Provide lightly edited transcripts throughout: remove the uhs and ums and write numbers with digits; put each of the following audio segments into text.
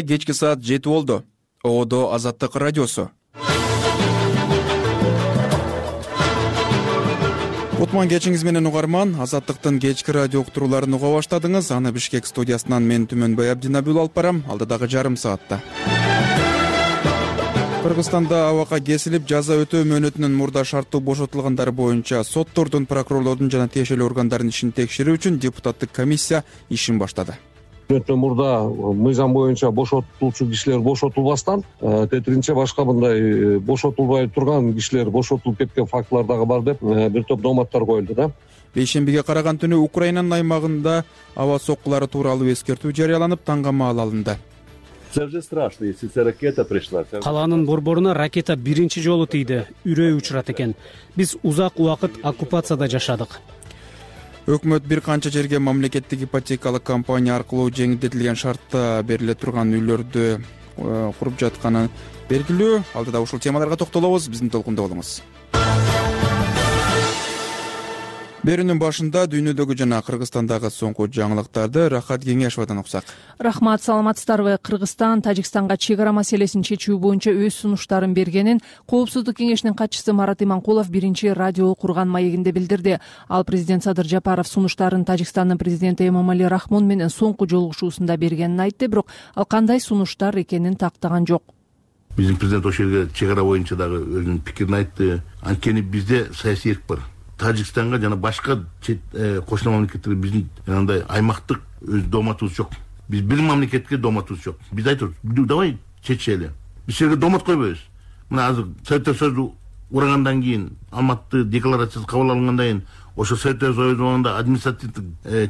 Кечки саат 7 болду. Одо Азаттык радиосу. Кутман кечиңиз менен угарман. Азаттыктын кечки радио уктурууларын уга баштадыңыз. Аны Бишкек студиясынан мен Түмөнбай Абдинабил алып барам. Алдыдагы жарым саатта. Кыргызстанда абакка кесилип жаза өтөө мөөнөтүнүн мурда шарттуу бошотулгандар боюнча соттордун, прокурорлордун жана тиешелүү органдардын ишин текшерүү үчүн депутаттык комиссия ишин баштады. Мурда мыйзам боюнча бошотулчу кишилер бошотулбастан, тетиринче башка мындай бошотулбай турган кишилер бошотулуп кеткен фактылар дагы бар деп бир топ дооматтар коюлду да. Бейшембиге караган түнү Украинанын аймагында аба соккулары тууралуу эскертүү жарыяланып, таңгамаал алынды. Калаанын борборуна ракета биринчи жолу тийди. Үрөй учурат экен. Биз узак убакыт оккупацияда жашадык. Өкмөт бир канча жерге мамлекеттик ипотекалык компания аркылуу жеңилдетилген шартта бериле турган үйлөрдү куруп жатканы белгилүү. Алдыда ушул темаларга токтолобуз. Биздин толкунда болуңуз. Берүүнүн башында дүйнөдөгү жана Кыргызстандагы соңку жаңылыктарды Рахат Кеңешовдон уксак. Рахмат, саламатсыздарбы? Кыргызстан Тажикстанга чек ара маселесин чечүү боюнча өз сунуштарын бергенин Коопсуздук кеңешинин катчысы Марат Иманкулов биринчи радио курган маегинде билдирди. Ал президент Садыр Жапаров сунуштарын Тажикстандын президенти Эмомали Рахмон менен соңку жолугушуусунда бергенин айтты, бирок ал кандай сунуштар экенин тактаган жок. Биздин президент ошол жерге чек ара боюнча дагы өзүнүн пикирин айтты. Анткени бизде саясий эрк бар. Тажикстанга жана башка кошуна мамлекеттерге биздин андай аймактык өз дооматыбыз жок. Биз бир мамлекетке дооматыбыз жок. Биз айтабыз, давай чечели. Биз жерге доомат койбойбуз. Мына азыр Советтер Союзу урагандан кийин, Алматы декларациясы кабыл алынгандан кийин, ошо Советтер Союзунда административдик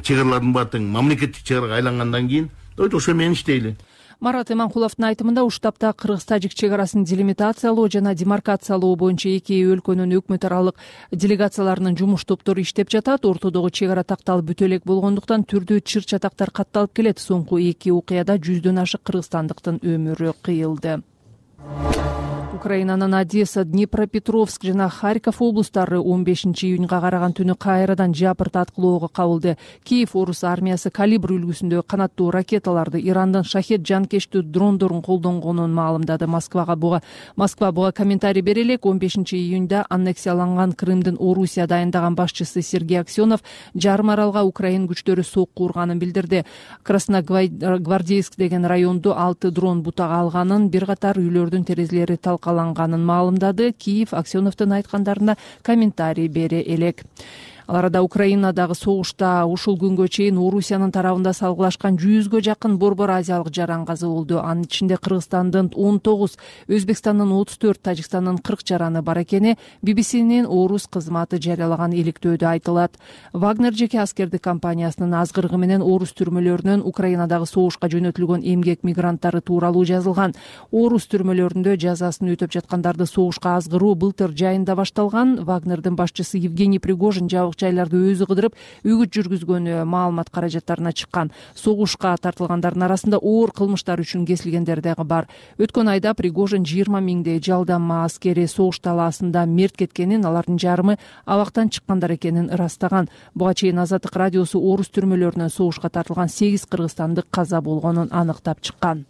чек аралардын баары тең мамлекеттик чек арага айлангандан кийин, ошо менен иштейли. Марат Иманкуловдун айтымында уштапта кыргыз-тажик чек арасын делимитациялоо жана демаркациялоо боюнча эки өлкөнүн өкмөт аралык делегацияларынын жумуш топтору иштеп жатат. Ортодогу чек ара такталып бүтө элек болгондуктан түрдүү чыр-чатактар катталып келет. Соңку эки окуяда 100дөн ашык кыргызстандыктын өмүрү кыйылды. Украинанын Одесса, Днепропетровск жана Харьков облустары 15-июнга караган түнү кайрадан жапырт аткылоого кабылды. Киев орус армиясы калибр үлгүсүндө канаттуу ракеталарды, Ирандын шахет жанкечтүү дрондорун колдонгонун маалымдады. Москва буга комментарий бере элек 15-июнда аннексияланган Крымдын Орусия дайындаган башчысы Сергей Аксенов жарым аралга Украин күчтөрү сокку урганын билдирди. Красногвардейск деген районду 6 дрон бутага алганын, бир катар үйлөрдүн терезелери талкаланганын маалымдады. Киев Аксеновдун айткандарына комментарий бере элек. Ал арада Украинадагы согушта ушул күнгө чейин Орусиянын тарабында салгылашкан 100гө жакын борбор азиялык жаран каза болду. Анын ичинде Кыргызстандын 19, Өзбекстандын 34, Тажикстандын 40 жараны бар экени BBC'нин орус кызматы жарыялаган иликтөөдө айтылат. Вагнер жеке аскердик компаниясынын азгырыгы менен орус түрмөлөрүнөн Украинадагы согушка жөнөтүлгөн эмгек мигранттары тууралуу жазылган. Орус түрмөлөрүндө жазасын өтөп жаткандарды согушка азгыруу былтыр жайында башталган. Вагнердин башчысы Евгений Пригожин жайларды өзү кыдырып үгүт жүргүзгөнү маалымат каражаттарына чыккан. Согушка тартылгандардын арасында оор кылмыштар үчүн кесилгендер дагы бар. Өткөн айда Пригожин 20 миңдей жалдама аскери согуш талаасында мерт кеткенин, алардын жарымы абактан чыккандар экенин ырастаган. Буга чейин Азаттык радиосу орус түрмөлөрүнөн согушка тартылган 8 кыргызстандык каза болгонун аныктап чыккан.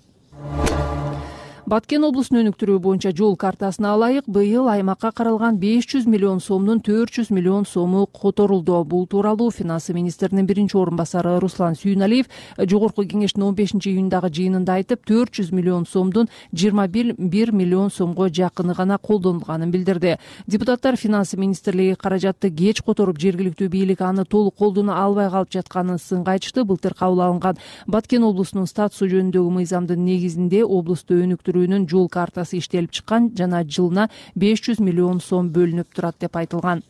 Баткен облусунун өнүктүрүү боюнча жол картасына ылайык быйыл аймакка каралган 500 миллион сомдун 400 миллион сому которулду. Бул тууралуу финансы министринин биринчи орун басары Руслан Сүйүналиев жогорку кеңештин 15-июндагы жыйынында айтып, 400 миллион сомдун 21 миллион сомго жакыны гана колдонулганын билдирди. Депутаттар финансы министрлиги каражатты кеч которуп, жергиликтүү бийлик аны толук колдоно албай калып жатканын сынга айтышты. Былтыр кабыл алынган Баткен облусунун статусу жөнүндөгү мыйзамдын негизинде облусту өнүктүрүүнүн жол картасы иштелип чыккан жана жылына 500 миллион сом бөлүнүп турат деп айтылган.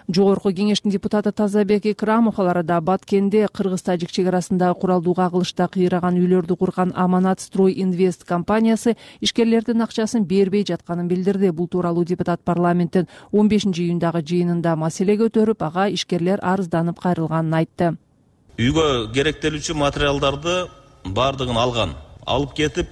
Жогорку кеңештин депутаты Тазабек Икрамов ал арада Баткенде кыргыз-тажик чек арасындагы куралдуу кагылышта кыйраган үйлөрдү курган Аманат Строй Инвест компаниясы ишкерлердин акчасын бербей жатканын билдирди. Бул тууралуу депутат парламенттин 15-июндагы жыйынында маселе көтөрүп, ага ишкерлер арызданып кайрылганын айтты. Үйгө керектелүүчү материалдарды бардыгын алып кетип,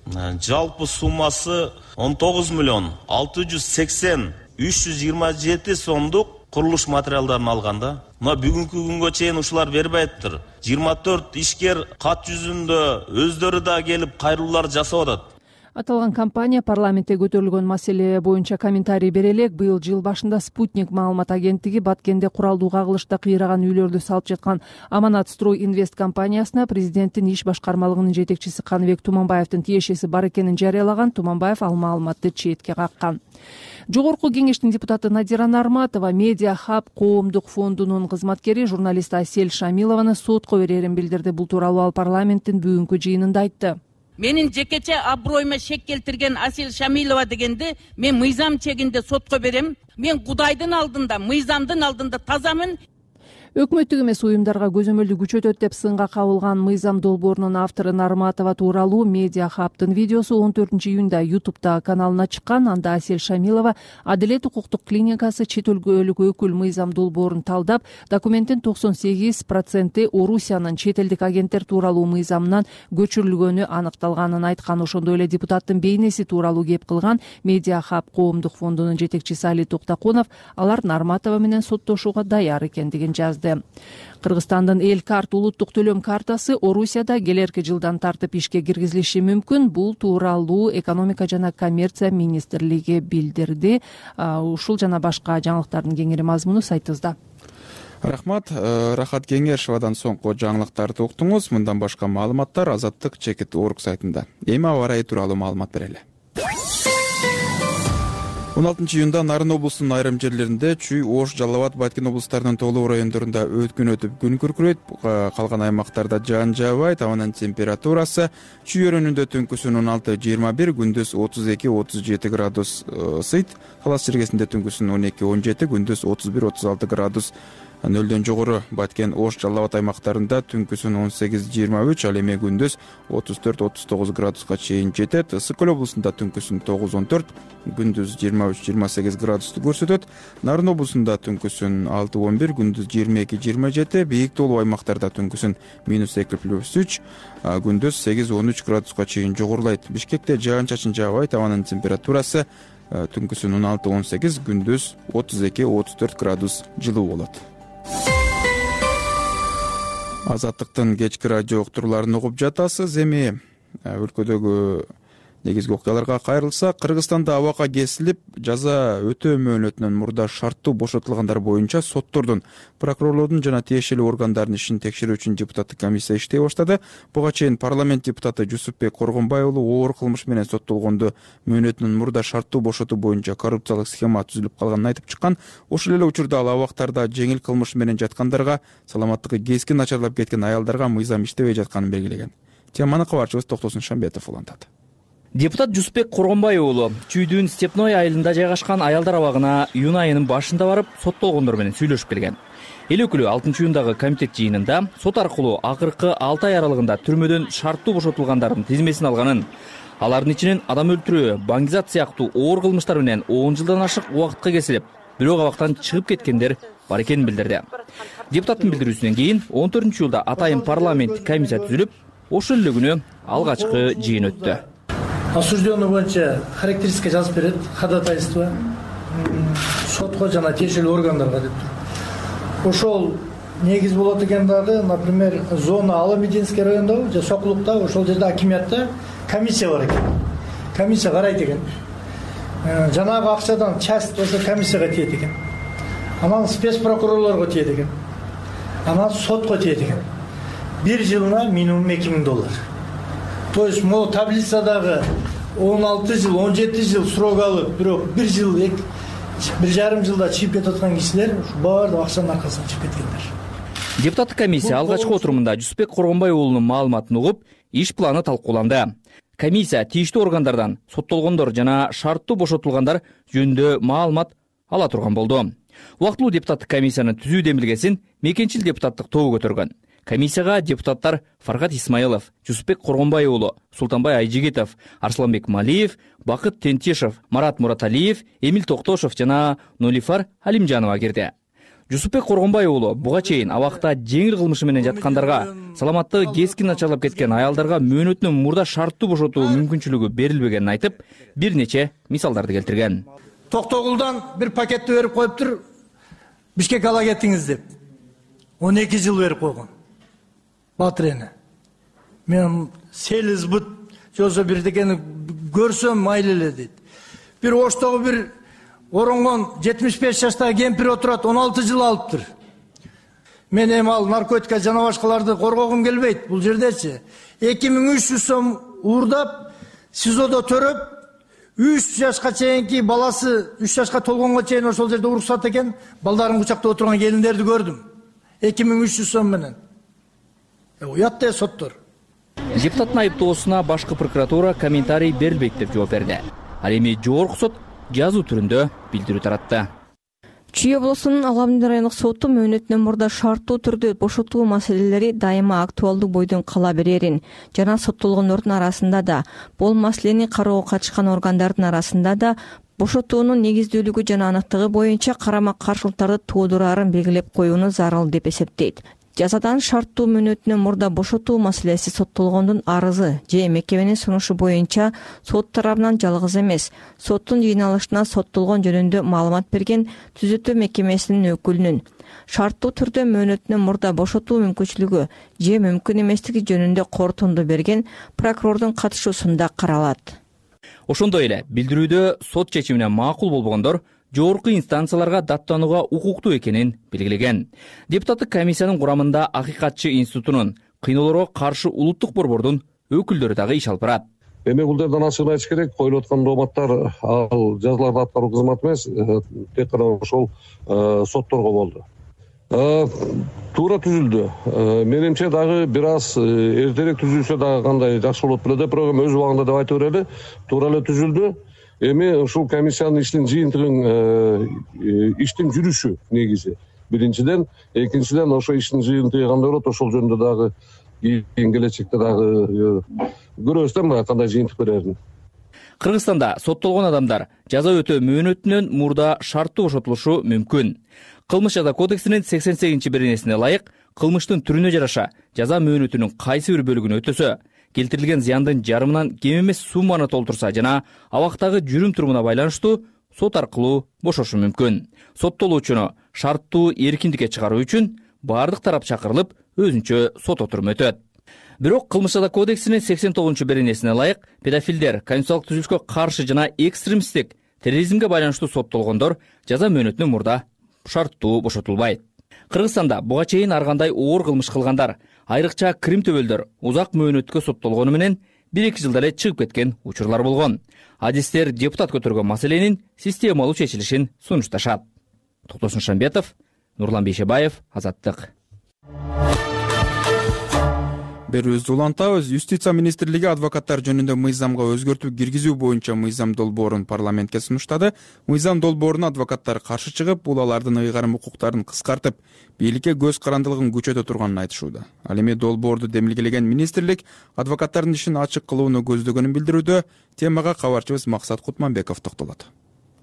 жалпы суммасы 19 миллион 680 327 сомдук курулуш материалдарын алган да. Мына бүгүнкү күнгө чейин ушулар бербей атыптыр. 24 ишкер кат жүзүндө өздөрү да келип кайрылуулар жасап атат. Аталган компания парламентте көтөрүлгөн маселе боюнча комментарий бере элек. Быйыл жыл башында Спутник маалымат агенттиги Баткенде куралдуу кагылышта кыйраган үйлөрдү салып жаткан Аманат Строй Инвест компаниясына президенттин иш башкармалыгынын жетекчиси Каныбек Туманбаевдин тиешеси бар экенин жарыялаган. Туманбаев ал маалыматты четке каккан. Жогорку кеңештин депутаты Надира Нарматова Медиа Хаб коомдук фондунун кызматкери журналист Асель Шамилованы сотко берерин билдирди. Бул тууралуу ал парламенттин бүгүнкү жыйынында айтты. Менин жекече аброюма шек келтирген Асель Шамилова дегенди мен мыйзам чегинде сотко берем. Мен Кудайдын алдында, мыйзамдын алдында тазамын. Өкмөттүк эмес уюмдарга көзөмөлдү күчөтөт деп сынга кабылган мыйзам долбоорунун автору Нарматова тууралуу Медиа Хабтын видеосу 14-июнда YouTube'да каналына чыккан. Анда Асель Шамилова Адилет укуктук клиникасы чет өлкөлүк өкүл мыйзам долбоорун талдап, документтин 98% Орусиянын чет элдик агенттер тууралуу мыйзамынан көчүрүлгөнү аныкталганын айткан. Ошондой эле депутаттын бейнеси тууралуу кеп кылган Медиа Хаб коомдук фондунун жетекчиси Али Токтакунов алар Нарматова менен соттошууга даяр экендигин жазды. Кыргызстандын эл карт улуттук төлөм картасы Орусияда келерки жылдан тартып ишке киргизилиши мүмкүн. Бул тууралуу экономика жана коммерция министрлиги билдирди. Ушул жана башка жаңылыктардын кеңири мазмуну сайтыбызда. Рахмат. Рахат Кеңешевадан соңку жаңылыктарды уктуңуз. Мындан башка маалыматтар Азаттык Чекит Орг сайтында. Эми аба ырайы тууралуу маалымат берели. 16-июнда Нарын облусунун айрым жерлеринде Чүй, Ош, Жалал Абад, Баткен облустарынын тоолуу райондорунда өткүн өтүп күн күркүрөйт. Калган аймактарда жаан жаабайт. Абанын температурасы Чүй өрөөнүндө түнкүсүн 16-21, күндүз 32-37 градус ысыйт. Талас жергесинде түнкүсүн 12-17, күндүз 31-36 градус нөлдөн жогору. Баткен, Ош, Жалал Абад аймактарында түнкүсүн 18-23, ал эми күндүз 34-39 градуска чейин жетет. Ысык Көл облусунда түнкүсүн 9-14, күндүз 23-28 градусту көрсөтөт. Нарын облусунда түнкүсүн 6-11, күндүз 22-27, бийик тоолуу аймактарда түнкүсүн -2+3, күндүз 8-13 градуска чейин жогорулайт. Бишкекте жаан-чачын жаабайт. Абанын температурасы түнкүсүн 16-18, күндүз 32-34 градус жылуу болот. Азаттыктын кечки радио уктурууларын угуп жатасыз. Эми өлкөдөгү негизги окуяларга кайрылсак, Кыргызстанда абакка кесилип жаза өтөө мөөнөтүнөн мурда шарттуу бошотулгандар боюнча соттордун, прокурорлордун жана тиешелүү органдардын ишин текшерүү үчүн депутаттык комиссия иштей баштады. Буга чейин парламент депутаты Жусупбек Коргонбай уулу оор кылмыш менен соттолгондо мөөнөтүнөн мурда шарттуу бошотуу боюнча коррупциялык схема түзүлүп калганын айтып чыккан. Ошол эле учурда ал абактарда жеңил кылмыш менен жаткандарга, саламаттыгы кескин начарлап кеткен аялдарга мыйзам иштебей жатканын белгилеген. Теманы кабарчыбыз Токтосун Шамбетов улантат. Депутат Жусупбек Коргонбай уулу Чүйдүн Степной айылында жайгашкан аялдар абагына июнь айынын башында барып, соттолгондор менен сүйлөшүп келген. Эл өкүлү 6-июндагы комитет жыйынында сот аркылуу акыркы 6 ай аралыгында түрмөдөн шарттуу бошотулгандардын тизмесин алганын, алардын ичинен адам өлтүрүү, баңгизат сыяктуу оор кылмыштар менен 10 жылдан ашык убакытка кесилип, бирок абактан чыгып кеткендер бар экенин билдирди. Депутаттын билдирүүсүнөн кийин 14-июлда атайын парламенттик комиссия түзүлүп, ошол эле күнү алгачкы жыйын өттү. Осужденный боюнча характеристика жазып берет, ходатайство сотко жана тиешелүү органдарга деп туруп. Ошол негиз болот экен дагы, например, зона Ала-Мединский райондо же Сокулукта, ошол жерде акимиятта комиссия бар экен. Комиссия карайт экен. Жанагы акчадан часть ошо комиссияга тиет экен. Анан спецпрокурорлорго тиет экен. Анан сотко тиет экен. Bir жылына минимум $2000. То есть могу таблицадагы 16 жыл, 17 жыл срок алып, бирок 1 жыл, 1,5 жылда чыгып кетип аткан кишилер баардык акчанын аркасынан чыгып кеткендер. Депутаттык комиссия алгачкы отурумунда Жусупбек Коргонбай уулунун маалыматын угуп, иш планы талкууланды. Комиссия тийиштүү органдардан соттолгондор жана шарттуу бошотулгандар жөнүндө маалымат ала турган болду. Убактылуу депутаттык комиссиянын түзүү демилгесин мекенчил депутаттык тобу көтөргөн. Комиссияга депутаттар Фаргат Исмаилов, Жусупбек Коргонбай уулу, Султанбай Айжигитов, Арсланбек Малиев, Бакыт Тентешев, Марат Мураталиев, Эмил Токтошев жана Нолифар Алимжанова кирди. Жусупбек Коргонбай уулу буга чейин абакта жеңил кылмышы менен жаткандарга, саламаттыгы кескин начарлап кеткен аялдарга мөөнөтүнөн мурда шарттуу бошотуу мүмкүнчүлүгү берилбегенин айтып, бир нече мисалдарды келтирген. Токтогулдан бир пакетти берип коюптур. Бишкек ала кеттиңиз деп 12 жыл берип койгон Батырене. Мен селиз бут жолсо бирдекени көрсөм майлы эле дейт. Бир Оштогу бир оронгон 75 жаштагы кемпир отурат, 16 жыл алыптыр. Мен эми ал наркотика жана башкаларды коргогум келбейт. Бул жердечи 2300 сом уурдап, СИЗОдо төрөп, 3 жашка чейинки баласы 3 жашка толгонго чейин ошол жерде уруксат экен, балдарын кучактап отурган келиндерди көрдүм. 2300 сом менен. Уят да соттор. Депутаттын айыптоосуна башкы прокуратура комментарий берилбейт деп жооп берди. Ал эми жогорку сот жазуу түрүндө билдирүү таратты. Чүй облусунун Аламдин райондук соту мөөнөтүнөн мурда шарттуу түрдө бошотуу маселелери дайыма актуалдуу бойдон кала берерин жана соттолгондордун арасында да, бул маселени кароого катышкан органдардын арасында да бошотуунун негиздүүлүгү жана аныктыгы боюнча карама-каршылыктарды туудурарын белгилеп коюуну зарыл деп эсептейт. Жазадан шарттуу мөөнөтүнөн мурда бошотуу маселеси соттолгондун арызы же мекеменин сунушу боюнча сот тарабынан жалгыз эмес, соттун жыйналышына соттолгон жөнүндө маалымат берген түзөтүү мекемесинин өкүлүнүн шарттуу түрдө мөөнөтүнөн мурда бошотуу мүмкүнчүлүгү же мүмкүн эместиги жөнүндө корутунду берген прокурордун катышуусунда каралат. Ошондой эле билдирүүдө сот чечимине макул болбогондор жогорку инстанцияларга даттанууга укуктуу экенин белгилеген. Депутаттык комиссиянын курамында Акыйкатчы институтунун, кыйноолорго каршы улуттук борбордун өкүлдөрү дагы иш алып барат. Эми бул жерден ачыгын айтыш керек, коюлуп аткан дооматтар ал жазаларды аткаруу кызматы эмес, тек гана ошол сотторго болду. Туура түзүлдү. Менимче дагы бир аз эртерээк түзүлсө дагы кандай жакшы болот беле деп, бирок өз убагында деп айтып берели, туура эле түзүлдү. Эми ушул комиссиянын иштин жыйынтыгын иштин жүрүшү негизи. Биринчиден, экинчиден ошо иштин жыйынтыгы кандай болот, ошол жөнүндө дагы кийин келечекте дагы көрөбүз да кандай жыйынтык берерин. Кыргызстанда соттолгон адамдар жаза өтөө мөөнөтүнөн мурда шарттуу бошотулушу мүмкүн. Кылмыш жаза кодексинин 88-беренесине ылайык кылмыштын түрүнө жараша жаза мөөнөтүнүн кайсы бир бөлүгүн өтөсө, келтирилген зыяндын жарымынан кем эмес сумманы толтурса жана абактагы жүрүм турумуна байланыштуу сот аркылуу бошошу мүмкүн. Соттолуучуну шарттуу эркиндикке чыгаруу үчүн бардык тарап чакырылып, өзүнчө сот отуруму өтөт. Бирок кылмыш жаза кодексинин 89-беренесине ылайык педофилдер, конституциялык түзүлүшкө каршы жана экстремисттик терроризмге байланыштуу соттолгондор жаза мөөнөтүнөн мурда шарттуу бошотулбайт. Кыргызстанда буга чейин ар кандай оор кылмыш кылгандар, айрыкча Крим төбөлдөр узак мөөнөткө соттолгону менен 1-2 жылда эле чыгып кеткен учурлар болгон. Адистер депутат көтөргөн маселенин системалуу чечилишин сунушташат. Токтосун Шамбетов, Нурлан Бейшебаев, Азаттык. Берүүбүздү улантабыз. Юстиция министрлиги адвокаттар жөнүндө мыйзамга өзгөртүү киргизүү боюнча мыйзам долбоорун парламентке сунуштады. Мыйзам долбооруна адвокаттар каршы чыгып, бул алардын ыйгарым укуктарын кыскартып, бийликке көз карандылыгын күчөтө турганын айтышууда. Ал эми долбоорду демилгелеген министрлик адвокаттардын ишин ачык кылууну көздөгөнүн билдирүүдө. Темага кабарчыбыз Максат Кутманбеков токтолот.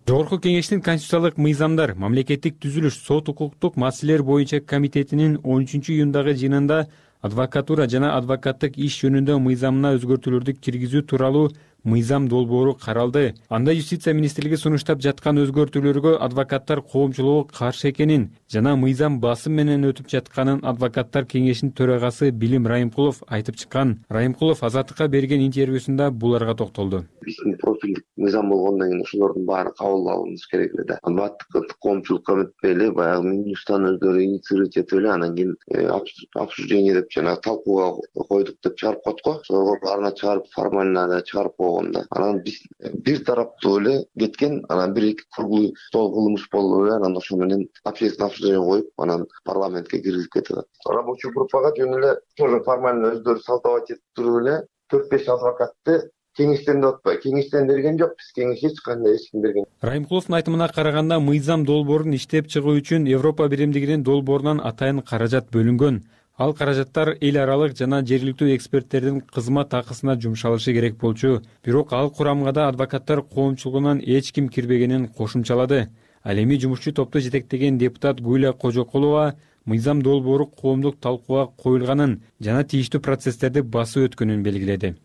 Жогорку кеңештин конституциялык мыйзамдар, мамлекеттик түзүлүш, сот укуктук маселелер боюнча комитетинин 13-июндагы жыйынында адвокатура жана адвокаттык иш жөнүндө мыйзамына өзгөртүүлөрдү киргизүү тууралуу мыйзам долбоору каралды. Анда юстиция министрлиги сунуштап жаткан өзгөртүүлөргө адвокаттар коомчулугу каршы экенин жана мыйзам басым менен өтүп жатканын адвокаттар кеңешинин төрагасы Билим Райымкулов айтып чыккан. Райымкулов Азаттыкка берген интервьюсунда буларга токтолду. Биздин профилдик мыйзам болгондон кийин ошолордун баарын кабыл алуубуз керек эле да. Адвокаттык коомчулукка өтпөй эле баягы Минюстан өздөрү инициировать этип эле анан кийин обсуждение деп жана талкууга койдук деп чыгарып коет го. Ошолорго баарына чыгарып формально чыгарып анан биз бир тараптуу эле кеткен, анан бир-эки круглый стол кылмыш болуп эле, анан ошо менен общественное обсуждение коюп, анан парламентке киргизип кетти. Рабочий группага жөн эле тоже формально өздөрү салтабат этип туруп эле 4-5 адвокатты кеңештен да отпой, кеңештен берген жок, биз кеңеш эч кандай эч ким берген. Райымкуловдун айтымына караганда, мыйзам долбоорун иштеп чыгуу үчүн Европа биримдигинин долбоорунан атайын каражат бөлүнгөн. Ал каражаттар эл аралык жана жергиликтүү эксперттердин кызмат акысына жумшалышы керек болчу. Бирок ал курамга да адвокаттар коомчулугунан эч ким кирбегенин кошумчалады. Ал эми жумушчу топту жетектеген депутат Гүлия Кожокулова мыйзам долбоору коомдук талкууга коюлганын жана тийиштүү процесстерди басып өткөнүн белгиледи.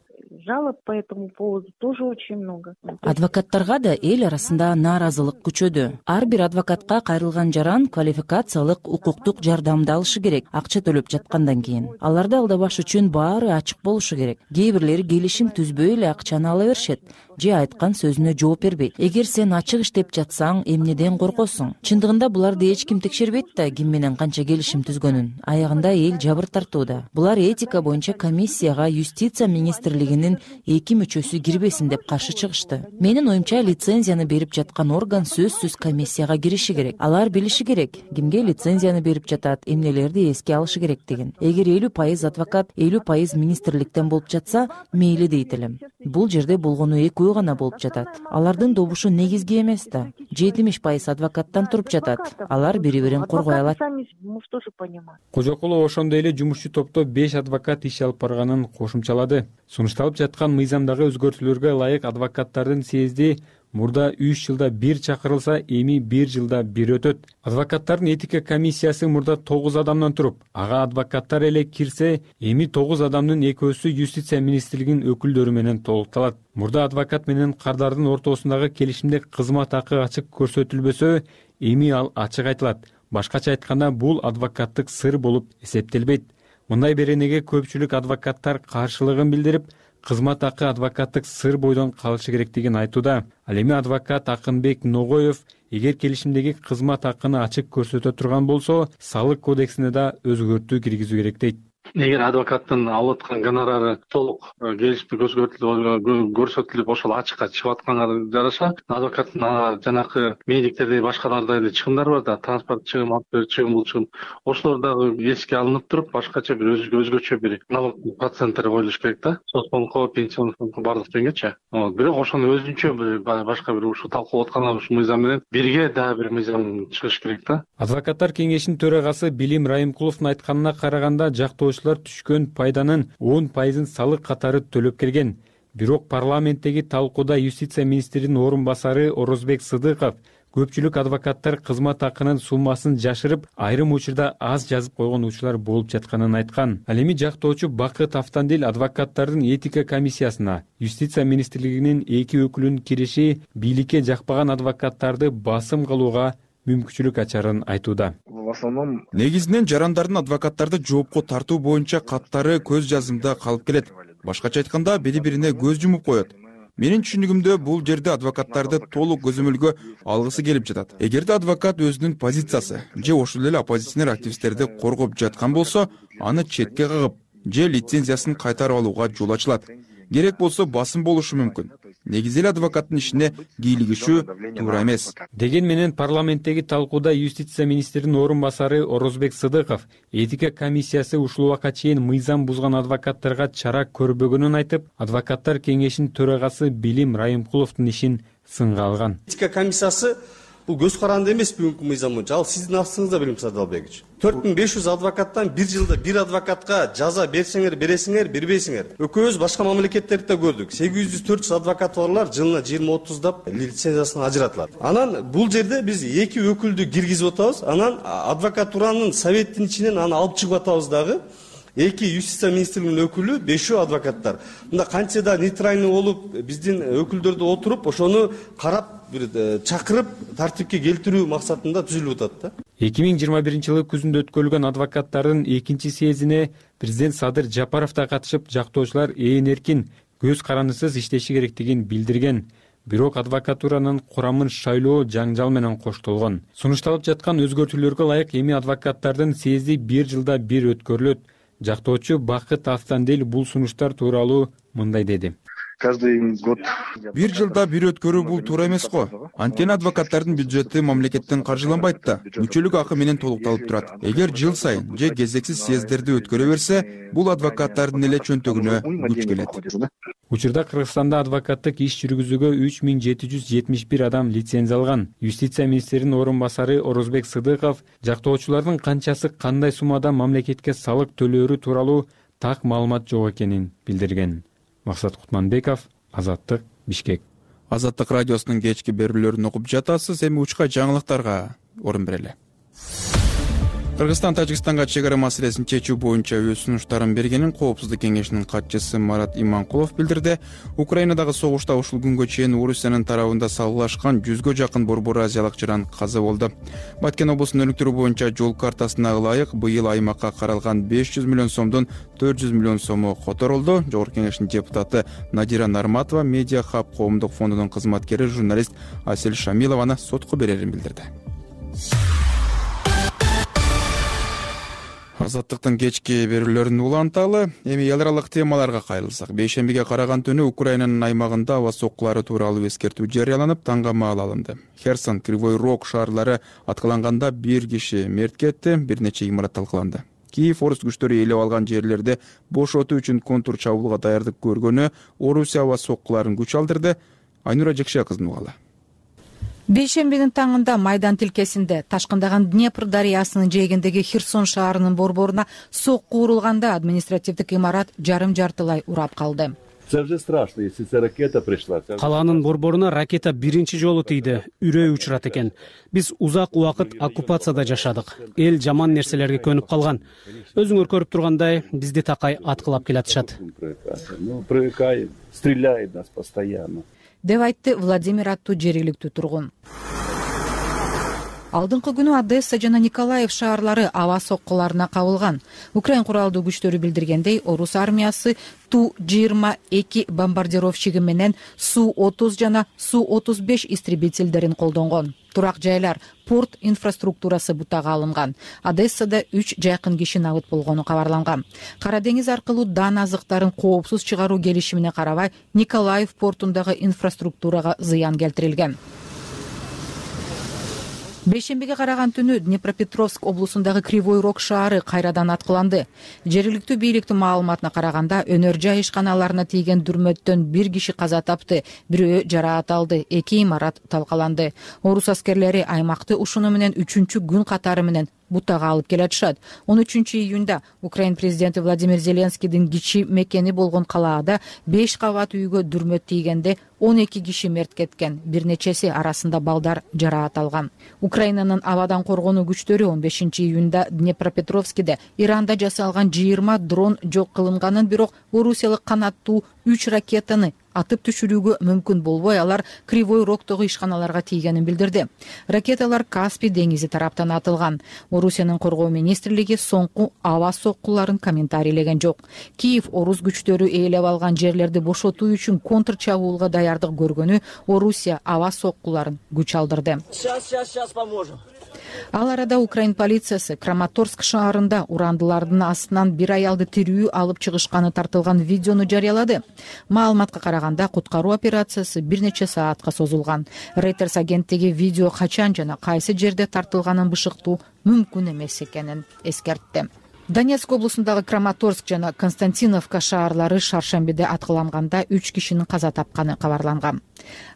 жалоб по этому поводу тоже очень много. Адвокаттарга да эл арасында нааразылык күчөдү. Ар бир адвокатка кайрылган жаран квалификациялык укуктук жардамды алышы керек, акча төлөп жаткандан кийин. Аларды алдабаш үчүн баары ачык болушу керек. Кээ бирлери келишим түзбөй эле акчаны ала беришет же айткан сөзүнө жооп бербейт. Эгер сен ачык иштеп жатсаң, эмнеден коркосуң? Чындыгында буларды эч ким текшербейт да ким менен канча келишим түзгөнүн. Аягында эл жабыр тартууда. Булар этика боюнча комиссияга юстиция министрлигинин 2 мүчөсү кирбесин деп каршы чыгышты. Менин оюмча лицензияны берип жаткан орган сөзсүз комиссияга кириши керек. Алар билиши керек кимге лицензияны берип жатат, эмнелерди эске алышы керектигин. Эгер 50% адвокат, 50% министрликтен болуп жатса, мейли дейт элем. Бул жерде болгону экөө гана болуп жатат. Алардын добушу негизги эмес да. 70% адвокаттан туруп жатат. Алар бири-бирин коргой алат. Кожокулов ошондой эле жумушчу топто 5 адвокат иш алып барганын кошумчалады. Сунушталып жаткан мыйзамдагы өзгөртүүлөргө ылайык адвокаттардын съезди мурда 3 жылда 1 чакырылса, эми 1 жылда 1 өтөт. Адвокаттардын этика комиссиясы мурда 9 адамдан туруп, ага адвокаттар эле кирсе, эми 9 адамдын экөөсү юстиция министрлигинин өкүлдөрү менен толукталат. Мурда адвокат менен кардардын ортосундагы келишимде кызмат акы ачык көрсөтүлбөсө, эми ал ачык айтылат. Башкача айтканда, бул адвокаттык сыр болуп эсептелбейт. Мындай беренеге көпчүлүк адвокаттар каршылыгын билдирип, кызмат акы адвокаттык сыр бойдон калышы керектигин айтууда. Ал эми адвокат Акынбек Ногоев эгер келишимдеги кызмат акыны ачык көрсөтө турган болсо, салык кодексине да өзгөртүү киргизүү керек дейт. Эгер адвокаттын алып аткан гонорары толук келишимде көрсөтүлүп ошол ачыкка чыгып атканга жараша, адвокаттын жанакы медиктердей башкаларда эле чыгымдар бар да, транспорт чыгым, чыгым, бул чыгым. Ошолор дагы эске алынып туруп, башкача бир өзгөчө бир налог проценттери коюлуш керек да. Соцфондго, пенсионный фондго бардык деңгечи. Бирок ошону өзүнчө башка бир ушу талкуулап аткан ушу мыйзам менен бирге дагы бир мыйзам чыгыш керек да. Адвокаттар кеңешинин төрагасы Билим Райымкуловдун айтканына караганда, жактоочулар түшкөн пайданын 10% салык катары төлөп келген. Бирок парламенттеги талкууда юстиция министринин орун басары Орозбек Сыдыков көпчүлүк адвокаттар кызмат акынын суммасын жашырып, айрым учурда аз жазып койгон учурлар болуп жатканын айткан. Ал эми жактоочу Бакыт Автандил адвокаттардын этика комиссиясына юстиция министрлигинин 2 өкүлүнүн кириши бийликке жакпаган адвокаттарды басым кылууга мүмкүнчүлүк ачарын айтууда. Негизинен жарандардын адвокаттарды жоопко тартуу боюнча каттары көз жазымда калып келет. Башкача айтканда, бири-бирине көз жумуп коет. Менин түшүнүгүмдө бул жерде адвокаттарды толук көзөмөлгө алгысы келип жатат. Эгерде адвокат өзүнүн позициясы же ошол эле оппозиционер активисттерди коргоп жаткан болсо, аны четке кагып же лицензиясын кайтарып алууга жол ачылат. Керек болсо басым болушу мүмкүн. Негизи эле адвокаттын ишине кийлигишүү туура эмес. Деген менен парламенттеги талкууда юстиция министринин орун басары Орозбек Сыдыков этика комиссиясы ушул убакка чейин мыйзам бузган адвокаттарга чара көрбөгөнүн айтып, адвокаттар кеңешинин төрагасы Билим Райымкуловдун ишин сынга алган. Этика комиссиясы бул көз каранды эмес бүгүнкү мыйзам боюнча. Ал сиздин астыңызда, Билим Садалбекович. 4500 адвокаттан 1 жылда 1 адвокатка жаза берсеңер, бересиңер, бербейсиңер. Өкөөбүз башка мамлекеттерде көрдүк. 800-400 адвокат барлар жылына 20-30 лицензиясын ажыратылат. Анан бул жерде биз 2 өкүлдү киргизип атабыз. Анан адвокатуранын советтин ичинен аны алып чыгып атабыз дагы. 2 юстиция министрлигинин өкүлү, 5 адвокаттар. Мында канча да нейтральный болуп, биздин өкүлдөрдү отуруп, ошону карап, бир чакырып, тартипке келтирүү максатында түзүлүп атат да. 2021-жылы күзүндө өткөрүлгөн адвокаттардын 2-чи съездине президент Садыр Жапаров да катышып, жактоочулар эркин, көз карандысыз иштеши керектигин билдирген. Бирок адвокатуранын курамын шайлоо жаңжал менен коштолгон. Сунушталып жаткан өзгөртүүлөргө ылайык эми адвокаттардын съезди 1 жылда 1 өткөрүлөт. Жактоочу Бакыт Автандил бул сунуштар тууралуу мындай деди. Каждый год 1 жылда 1 өткөрүү бул туура эмес го. Анткени адвокаттардын бюджети мамлекеттен каржыланбайт да, мүчөлүк акы менен толукталып турат. Эгер жыл сайын же кезексиз съезддерди өткөрө берсе, бул адвокаттардын эле чөнтөгүнө күч келет. Учурда Кыргызстанда адвокаттык иш жүргүзүүгө 3771 адам лицензия алган. Юстиция министринин орун басары Орозбек Сыдыков жактоочулардын канчасы кандай суммада мамлекетке салык төлөөрү тууралуу так маалымат жок экенин билдирген. Максат Кутманбеков, Азаттык, Бишкек. Азаттык радиосунун кечки берүүлөрүн окуп жатасыз. Эми учка жаңылыктарга орун берели. Кыргызстан Тажикстанга чек ара маселесин чечүү боюнча өз сунуштарын бергенин Коопсуздук кеңешинин катчысы Марат Иманкулов билдирди. Украинадагы согушта ушул күнгө чейин Орусиянын тарабында салгылашкан 100гө жакын борбор азиялык жаран каза болду. Баткен облусунун өнүктүрүү боюнча жол картасына ылайык быйыл аймакка каралган 500 миллион сомдун 400 миллион сому которулду. Жогорку кеңештин депутаты Надира Нарматова Медиа Хаб коомдук фондунун кызматкери журналист Асель Шамилованы сотко берерин билдирди. Азаттыктын кечки берүүлөрүн уланталы. Эми эл аралык темаларга кайрылсак, бейшембиге караган түнү Украинанын аймагында аба соккулары тууралуу эскертүү жарыяланып, таңга маал алынды. Херсон, Кривой Рог шаарлары аткыланганда 1 киши мерт кетти, бир нече имарат талкаланды. Киев орус күчтөрү ээлеп алган жерлерди бошотуу үчүн контур чабуулга даярдык көргөнү Орусия аба соккуларын күч алдырды. Айнура Жекшия кыздын угалы. Бейшембинин таңында Майдан тилкесинде ташкындаган Днепр дарыясынын жээгиндеги Херсон шаарынын борборуна сокку урулганда административдик имарат жарым-жартылай урап калды. Калаанын борборуна ракета биринчи жолу тийди, үрөй учурат экен. Биз узак убакыт оккупацияда жашадык. Эл жаман нерселерге көнүп калган. Өзүңөр көрүп тургандай, бизди такай аткылап келатышат. Деп айтты Владимир аттуу жергиликтүү тургун. Алдыңкы күнү Одесса жана Николаев шаарлары аба соккуларына кабылган. Украин куралдуу күчтөрү билдиргендей, орус армиясы Ту-22 бомбардировщиги менен Су-30 жана Су-35 истребительдерин колдонгон. Турак жайлар, порт инфраструктурасы бутага алынган. Одессада 3 жайкын киши набыт болгону кабарланган. Кара деңиз аркылуу дан азыктарын коопсуз чыгаруу келишимине карабай, Николаев портундагы инфраструктурага зыян келтирилген. Бейшембиге караган түнү Днепропетровск облусундагы Кривой Рог шаары кайрадан аткыланды. Жергиликтүү бийликтин маалыматына караганда, өнөр жай ишканаларына тийген дүрмөттөн 1 киши каза тапты, бирөө жараат алды, 2 имарат талкаланды. Орус аскерлери аймакты ушуну менен 3-күн катары менен бутага алып келатышат. 13 июнда Украин президенти Владимир Зеленскийдин кичи мекени болгон Калаада 5 кабат үйгө дүрмөт тийгенде 12 киши мерт кеткен, бир нечеси арасында балдар жараат алган. Украинанын абадан коргонуу күчтөрү 15 июнда Днепропетровскиде Иранда жасалган 20 дрон жок кылынганын, бирок орусиялык канаттуу 3 ракетаны атып түшүрүүгө мүмкүн болбой, алар Кривой Рогтогу ишканаларга тийгенин билдирди. Ракеталар Каспий деңизи тараптан атылган. Орусиянын коргоо министрлиги соңку аба соккуларын комментарийлеген жок. Киев орус күчтөрү ээлеп алган жерлерди бошотуу үчүн контр чабуулга даярдык көргөнү Орусия аба соккуларын күч алдырды. Сейчас поможем. Ал арада Украин полициясы Краматорск шаарында урандылардын астынан бир аялды тирүү алып чыгышканы тартылган видеону жарыялады. Маалыматка караганда, куткаруу операциясы бир нече саатка созулган. Reuters агенттиги видео качан жана кайсы жерде тартылганын бышыктуу мүмкүн эмес экенин эскертти. Донецк облусундагы Краматорск жана Константиновка шаарлары шаршембиде аткыланганда 3 кишинин каза тапканы кабарланган.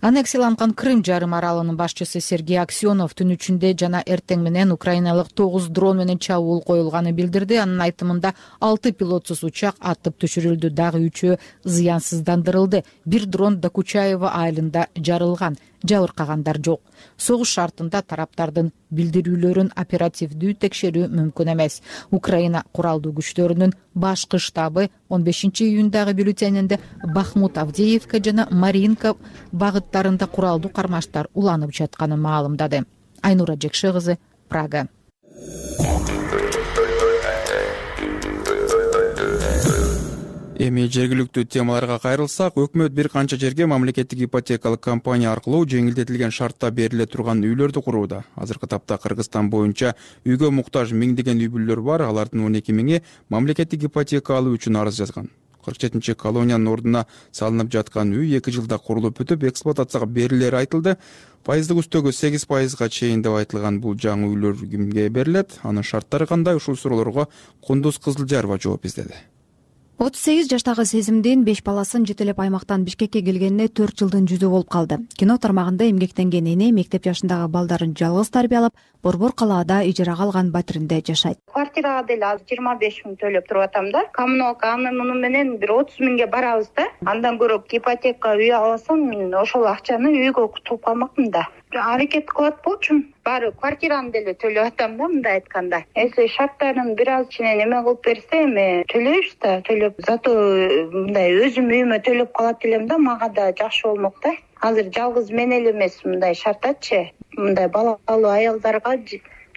Аннексияланган Крым жарым аралынын башчысы Сергей Аксенов түн ичинде жана эртең менен украиналык 9 дрон менен чабуул коюлганын билдирди. Анын айтымында 6 пилотсуз учак атып түшүрүлдү, дагы 3-өө зыянсыздандырылды. Бир дрон Докучаева айылында жарылган. Жабыркагандар жок. Согуш шартында тараптардын билдирүүлөрүн оперативдүү текшерүү мүмкүн эмес. Украина куралдуу күчтөрүнүн башкы штабы 15 июндагы бюллетенинде Бахмут, Авдеевка жана Маринка багыттарында куралдуу кармаштар уланып жатканын маалымдады. Айнура Жекшия кызы, Прага. Эми жергиликтүү темаларга кайрылсак, өкмөт бир канча жерге мамлекеттик ипотекалык компания аркылуу жеңилдетилген шартта бериле турган үйлөрдү курууда. Азыркы тапта Кыргызстан боюнча үйгө муктаж миңдеген үй бүлөлөр бар, алардын 12 миңи мамлекеттик ипотека алуу үчүн арыз жазган. 47 колониянын ордуна салынып жаткан үй 2 жылда курулуп бүтүп, эксплуатацияга берилери айтылды. Пайыздык үстөгү 8% чейин деп айтылган бул жаңы үйлөр кимге берилет? Анын шарттары кандай? Ушул суроолорго Кундуз Кызылжарова жооп издеди. 38 жаштагы Сезимдин 5 баласын жетелеп аймактан Бишкекке келгенине 4 жылдын жүзү болуп калды. Кино тармагында эмгектенген эне мектеп жашындагы балдарын жалгыз тарбиялап, Борбор Калаада ижарага алган батиринде жашайт. Квартирага деле азыр 25 миң төлөп туруп атам да. Коммуналка муну менен бир 30 миңге барабыз да. Андан көрө ипотека үй алсам, мен ошол акчаны үйгө кутуп калмакмын да. аракет кылат болчумун. Баары квартираны деле төлөп атам да, мындай айтканда. Если шарттарын бир аз кичине неме кылып берсе, эми төлөйбүз да, төлөп. Зато мындай өзүм үйүмө төлөп калат элем да, мага да жакшы болмок да. Азыр жалгыз мен эле эмес мындай шартатчы, мындай балалуу аялдарга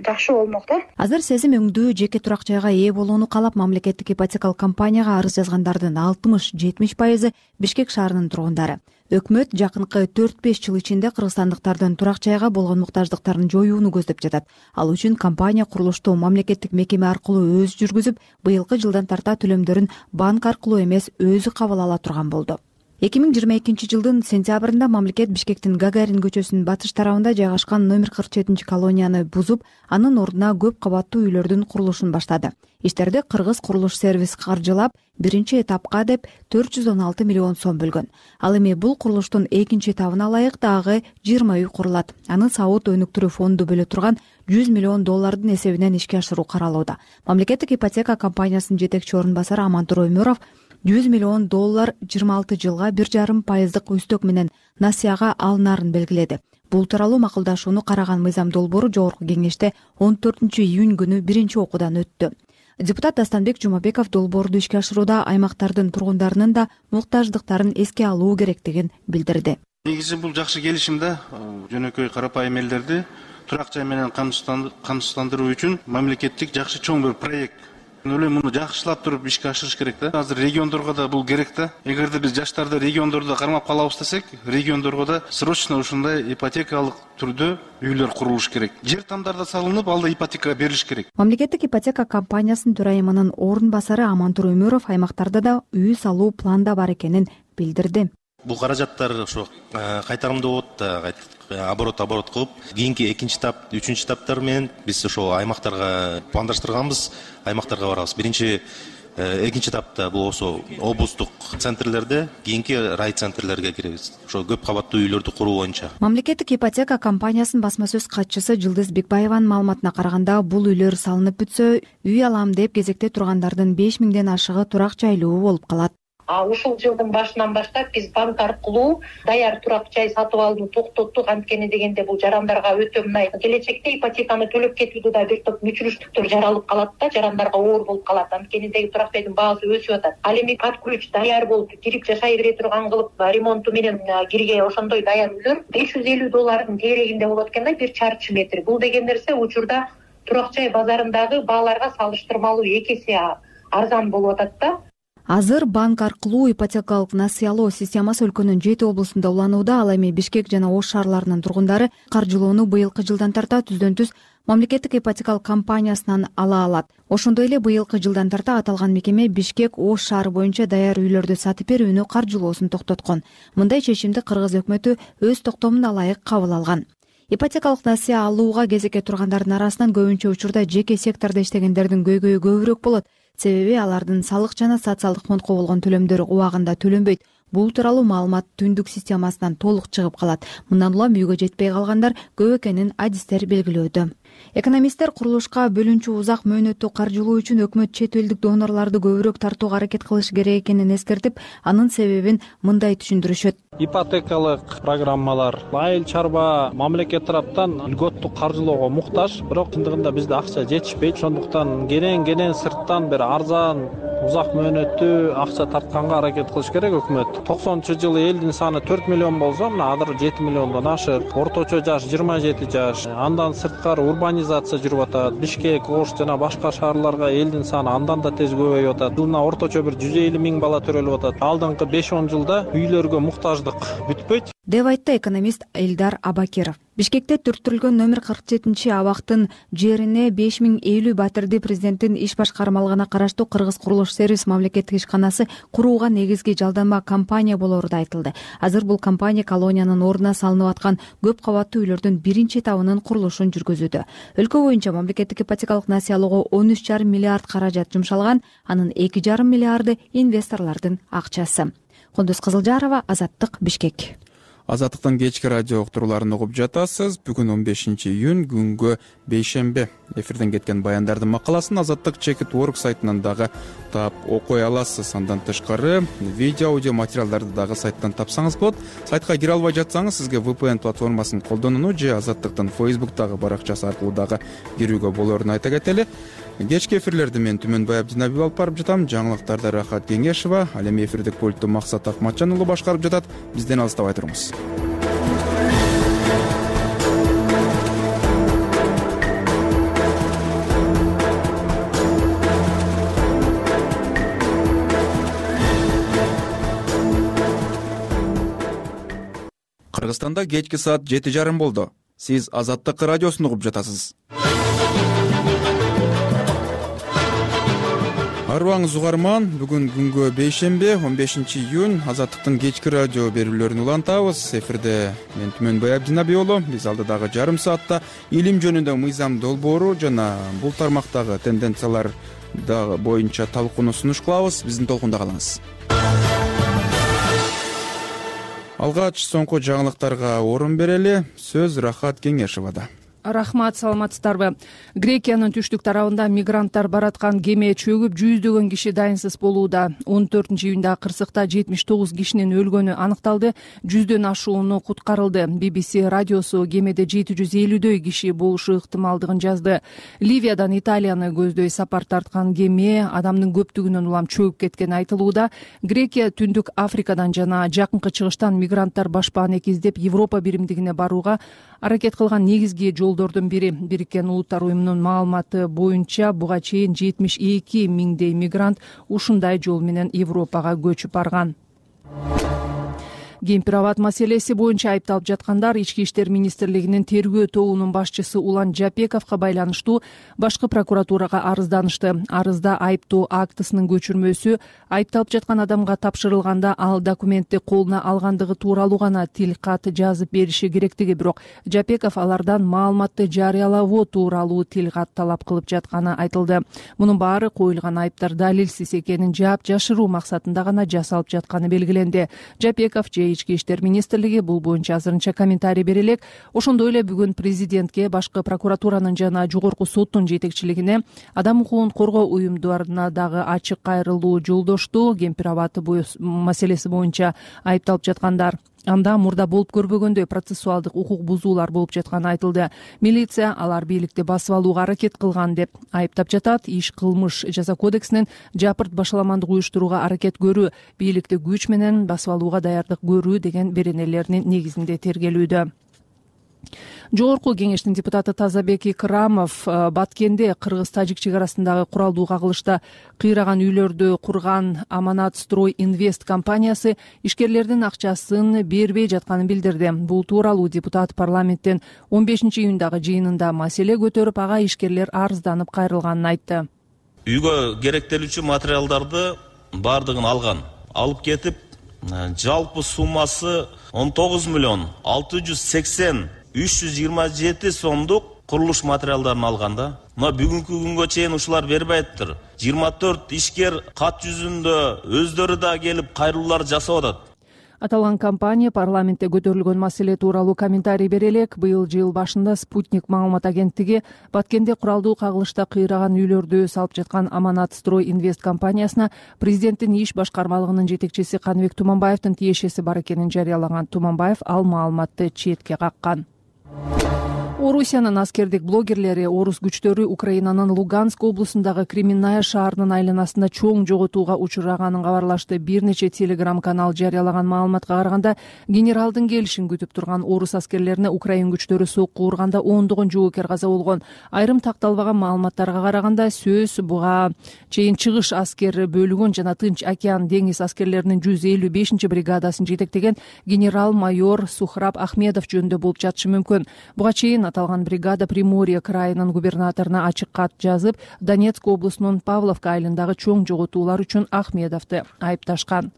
жакшы болмок да. Азыр сезим өңдүү жеке турак жайга ээ болууну каалап мамлекеттик ипотекалык компанияга арыз жазгандардын 60-70% Бишкек шаарынын тургундары. Өкмөт жакынкы 4-5 жыл ичинде кыргызстандыктардын турак жайга болгон муктаждыктарын жоюуну көздөп жатат. Ал үчүн компания курулушту мамлекеттик мекеме аркылуу өзү жүргүзүп, быйылкы жылдан тарта төлөмдөрүн банк аркылуу эмес өзү кабыл ала турган болду. 2022 жылдын сентябрында мамлекет Бишкектин Гагарин көчөсүнүн батыш тарабында жайгашкан номер 47 колонияны бузуп, анын ордуна көп кабаттуу үйлөрдүн курулушун баштады. Иштерди Кыргыз курулуш сервис каржылап, биринчи этапка деп 416 миллион сом бөлгөн. Ал эми бул курулуштун экинчи этабына ылайык дагы 20 үй курулат. Аны сауд өнүктүрүү фонду бөлө турган $100 миллион эсебинен ишке ашыруу каралууда. Мамлекеттик ипотека компаниясынын жетекчи орун басары Амантур Өмүров $100 миллион 26 жылга 1,5% үстөк менен насыяга алынарын белгиледи. Бул тууралуу макулдашууну караган мыйзам долбоору жогорку кеңеште 14 июнь күнү биринчи окуудан өттү. Депутат Дастанбек Жумабеков долбоорду ишке ашырууда аймактардын тургундарынын да муктаждыктарын эске алуу керектигин билдирди. Негизи бул жакшы келишим да, жөнөкөй карапайым элдерди турак жай менен камсыздандыруу үчүн мамлекеттик жакшы чоң бир проект. Мен муну жакшылап туруп ишке ашырыш керек да. Азыр региондорго да бул керек да. Эгерде биз жаштарды региондордо кармап калабыз десек, региондорго да срочно ушундай ипотекалык түрдө үйлөр курулуш керек. Жер тамдарда салынып, алда ипотека берилиш керек. Мамлекеттик ипотека компаниясынын төрайымынын орун басары Амантур Өмүров аймактарда да үй салуу планда бар экенин билдирди. Бул каражаттар ошо кайтарымдуу болот да, оборот кылып, кийинки экинчи этап, үчүнчү этаптар менен биз ошо аймактарга пландаштырганбыз, аймактарга барабыз. Биринчи, экинчи этапта бул ошо облустук центрлерде, кийинки райцентрлерге киребиз. Ошо көп кабаттуу үйлөрдү куруу боюнча. Мамлекеттик ипотека компаниясынын басма сөз катчысы Жылдыз Бекбаеванын маалыматына караганда, бул үйлөр салынып бүтсө, үй алам деп кезекте тургандардын 5000ден ашыгы турак жайлуу болуп калат. Ушул жылдын башынан баштап биз банк аркылуу даяр турак жай сатып алууну токтоттук. Анткени дегенде бул жарандарга өтө мындай келечекте ипотеканы төлөп кетүүдө да бир топ мүчүрүштүктөр жаралып калат да, жарандарга оор болуп калат. Анткени турак жайдын баасы өсүп атат. Ал эми под ключ даяр болуп кирип жашай бере турган кылып ремонту менен кирге ошондой даяр үйлөр $550 тегерегинде болот экен да, бир чарчы метр. Бул деген нерсе учурда турак жай базарындагы бааларга салыштырмалуу 2 эсе арзан болуп атат да. Азыр банк аркылуу ипотекалык насыялоо системасы өлкөнүн 7 облусунда уланууда. Ал эми Бишкек жана Ош шаарларынын тургундары каржылоону быйылкы жылдан тарта түздөн-түз мамлекеттик ипотекалык компаниясынан ала алат. Ошондой эле быйылкы жылдан тарта аталган мекеме Бишкек, Ош шаары боюнча даяр үйлөрдү сатып берүүнү каржылоосун токтоткон. Мындай чечимди Кыргыз өкмөтү өз токтомуна ылайык кабыл алган. Ипотекалык насыя алууга кезекке тургандардын арасынан көбүнчө учурда жеке сектордо иштегендердин көйгөйү көбүрөөк болот. Себеби алардын салык жана социалдык фондко болгон төлөмдөрү убагында төлөнбөйт. Бул тууралуу маалымат түндүк системасынан толук чыгып калат. Мындан улам үйгө жетпей калгандар көп экенин адистер белгилөөдө. Экономисттер курулушка бөлүнчү узак мөөнөттүү каржылоо үчүн өкмөт чет элдик донорлорду көбүрөөк тартууга аракет кылыш керек экенин эскертип, анын себебин мындай түшүндүрүшөт. Ипотекалык программалар айыл чарба мамлекет тараптан льготтук каржылоого муктаж, бирок чындыгында бизде акча жетишпейт. Ошондуктан кенен сырттан бир арзан узак мөөнөттүү акча тартканга аракет кылыш керек өкмөт. 90-жылы элдин саны 4 миллион болсо, мына азыр 7 миллиондон ашык. Орточо жаш 27 жаш. Андан сырткары урбанизация жүрүп атат. Бишкек, Ош жана башка шаарларга элдин саны андан да тез көбөйүп атат. Жылына орточо бир 150 миң бала төрөлүп атат. Алдыңкы 5-10 жылда үйлөргө муктаждык бүтпөйт деп айтты экономист Элдар Абакиров. Бишкекте түрттүрүлгөн номер 47 абактын жерине 5050 батирди президенттин иш башкармалыгына караштуу Кыргыз курулуш сервис мамлекеттик ишканасы курууга негизги жалданма компания болору да айтылды. Азыр бул компания колониянын ордуна салынып аткан көп кабаттуу үйлөрдүн биринчи этабынын курулушун жүргүзүүдө. Өлкө боюнча мамлекеттик ипотекалык насыялоого 13,5 миллиард каражат жумшалган, анын 2,5 миллиарды инвесторлордун акчасы. Кундуз Кызылжарова, Азаттык, Бишкек. Азаттыктын кечки радио уктурууларын угуп жатасыз. Бүгүн 15 июнь күнгө бейшемби. Эфирден кеткен баяндардын макаласын Азаттык Чекит Орг сайтынан дагы таап окуй аласыз. Андан тышкары видео, аудио материалдарды дагы сайттан тапсаңыз болот. Сайтка кире албай жатсаңыз, сизге VPN платформасын колдонууну же Азаттыктын Facebook'тагы баракчасы аркылуу дагы кирүүгө болоорун айта кетели. Кечки эфирлерди мен Түмөнбай Абдинабиев алып барып жатам. Жаңылыктарды Рахат Кеңешова, ал эми эфирдик пультту Максат Акматжан уулу башкарып жатат. Бизден алыстабай туруңуз. Кыргызстанда кечки саат 7:30 болду. Сиз Азаттык радиосун угуп жатасыз. Арыбаңыз угарман, бүгүн күнгө бейшемби, 15 июнь, Азаттыктын кечки радио берүүлөрүн улантабыз. Эфирде мен Түмөнбай Абдинабиев уулу. Биз алдыдагы жарым саатта илим жөнүндө мыйзам долбоору жана бул тармактагы тенденциялар боюнча талкууну сунуш кылабыз. Биздин толкунда калыңыз. Алгач соңку жаңылыктарга орун берели. Сөз Рахат Кеңешовада. Рахмат, саламатсыздарбы? Грекиянын түштүк тарабында мигранттар бараткан кеме чөгүп, жүздөгөн киши дайынсыз болууда. 14 июнда кырсыкта 79 кишинин өлгөнү аныкталды, 100дөн ашууну куткарылды. BBC радиосу кемеде 750дөй киши болушу ыктымалдыгын жазды. Ливиядан Италияны көздөй сапар тарткан кеме адамдын көптүгүнөн улам чөгүп кеткени айтылууда. Грекия Түндүк Африкадан жана Жакынкы Чыгыштан мигранттар башпааны экиздеп Европа биримдигине барууга аракет кылган негизги жолдордун бири. Бириккен Улуттар уюмунун маалыматы боюнча буга чейин 72 миңдей мигрант ушундай жол менен Европага көчүп барган. Кемпир-абад маселеси боюнча айыпталып жаткандар Ички иштер министрлигинин тергөө тобунун башчысы Улан Жапековго байланыштуу башкы прокуратурага арызданышты. Арызда айыптоо актысынын көчүрмөсү айыпталып жаткан адамга тапшырылганда ал документти колуна алгандыгы тууралуу гана тил кат жазып бериши керектиги, бирок Жапеков алардан маалыматты жарыялоо тууралуу тил кат талап кылып жатканы айтылды. Мунун баары коюлган айыптар далилсиз экенин жаап жашыруу максатында гана жасалып жатканы белгиленди. Жапеков Ички иштер министрлиги бул боюнча азырынча комментарий бере элек. Ошондой эле бүгүн президентке, башкы прокуратуранын жана жогорку соттун жетекчилигине адам укугун коргоо уюмдарына дагы ачык кайрылуу жолдошту. Кемпир-абад маселеси боюнча айыпталып жаткандар анда мурда болуп көрбөгөндөй процессуалдык укук бузуулар болуп жатканы айтылды. Милиция алар бийликти басып алууга аракет кылган деп айыптап жатат. Иш кылмыш жаза кодексинин жапырт башаламандык уюштурууга аракет көрүү, бийликти күч менен басып алууга даярдык көрүү деген беренелеринин негизинде тергелүүдө. Жогорку кеңештин депутаты Тазабек Икрамов Баткенде Кыргыз-Тажик чек арасындагы куралдуу кагылышта кыйраган үйлөрдү курган Аманат Строй Инвест компаниясы ишкерлердин акчасын бербей жатканын билдирди. Бул тууралуу депутат парламенттен 15 июндагы жыйынында маселе көтөрүп, ага ишкерлер арызданып кайрылганын айтты. Үйгө керектелүүчү материалдарды бардыгын алып кетип, жалпы суммасы 19 миллион 680 327 сомдук курулуш материалдарын алганда, мына бүгүнкү күнгө чейин ушулар бербей атыптыр. 24 ишкер кат жүзүндө өздөрү да келип кайрылуулар жасап атат. Аталган компания парламентте көтөрүлгөн маселе тууралуу комментарий бере элек. Быйыл жыл башында Спутник маалымат агенттиги Баткенде куралдуу кагылышта кыйраган үйлөрдү салып жаткан Аманат Строй Инвест компаниясына президенттин иш башкармалыгынын жетекчиси Каныбек Туманбаевдин тиешеси бар экенин жарыялаган. Туманбаев ал маалыматты четке каккан. Орусиянын аскердик блогерлери орус күчтөрү Украинанын Луганск облусундагы Кременная шаарынын айланасында чоң жоготууга учураганын кабарлашты. Бир нече телеграм-канал жарыялаган маалыматка караганда, генералдын келишин күтүп турган орус аскерлерине Украин күчтөрү сокку урганда ондогон жоокер каза болгон. Айрым такталбаган маалыматтарга караганда, сөз буга чейин чыгыш аскер бөлүгүн жана Тынч океан деңиз аскерлеринин 155 бригадасын жетектеген генерал-майор Сухраб Ахмедов жөнүндө болуп жатышы мүмкүн. Буга чейин аталган бригада Приморье крайынын губернаторуна ачык кат жазып, Донецк облусунун Павловка айылындагы чоң жоготуулар үчүн Ахмедовду айыпташкан.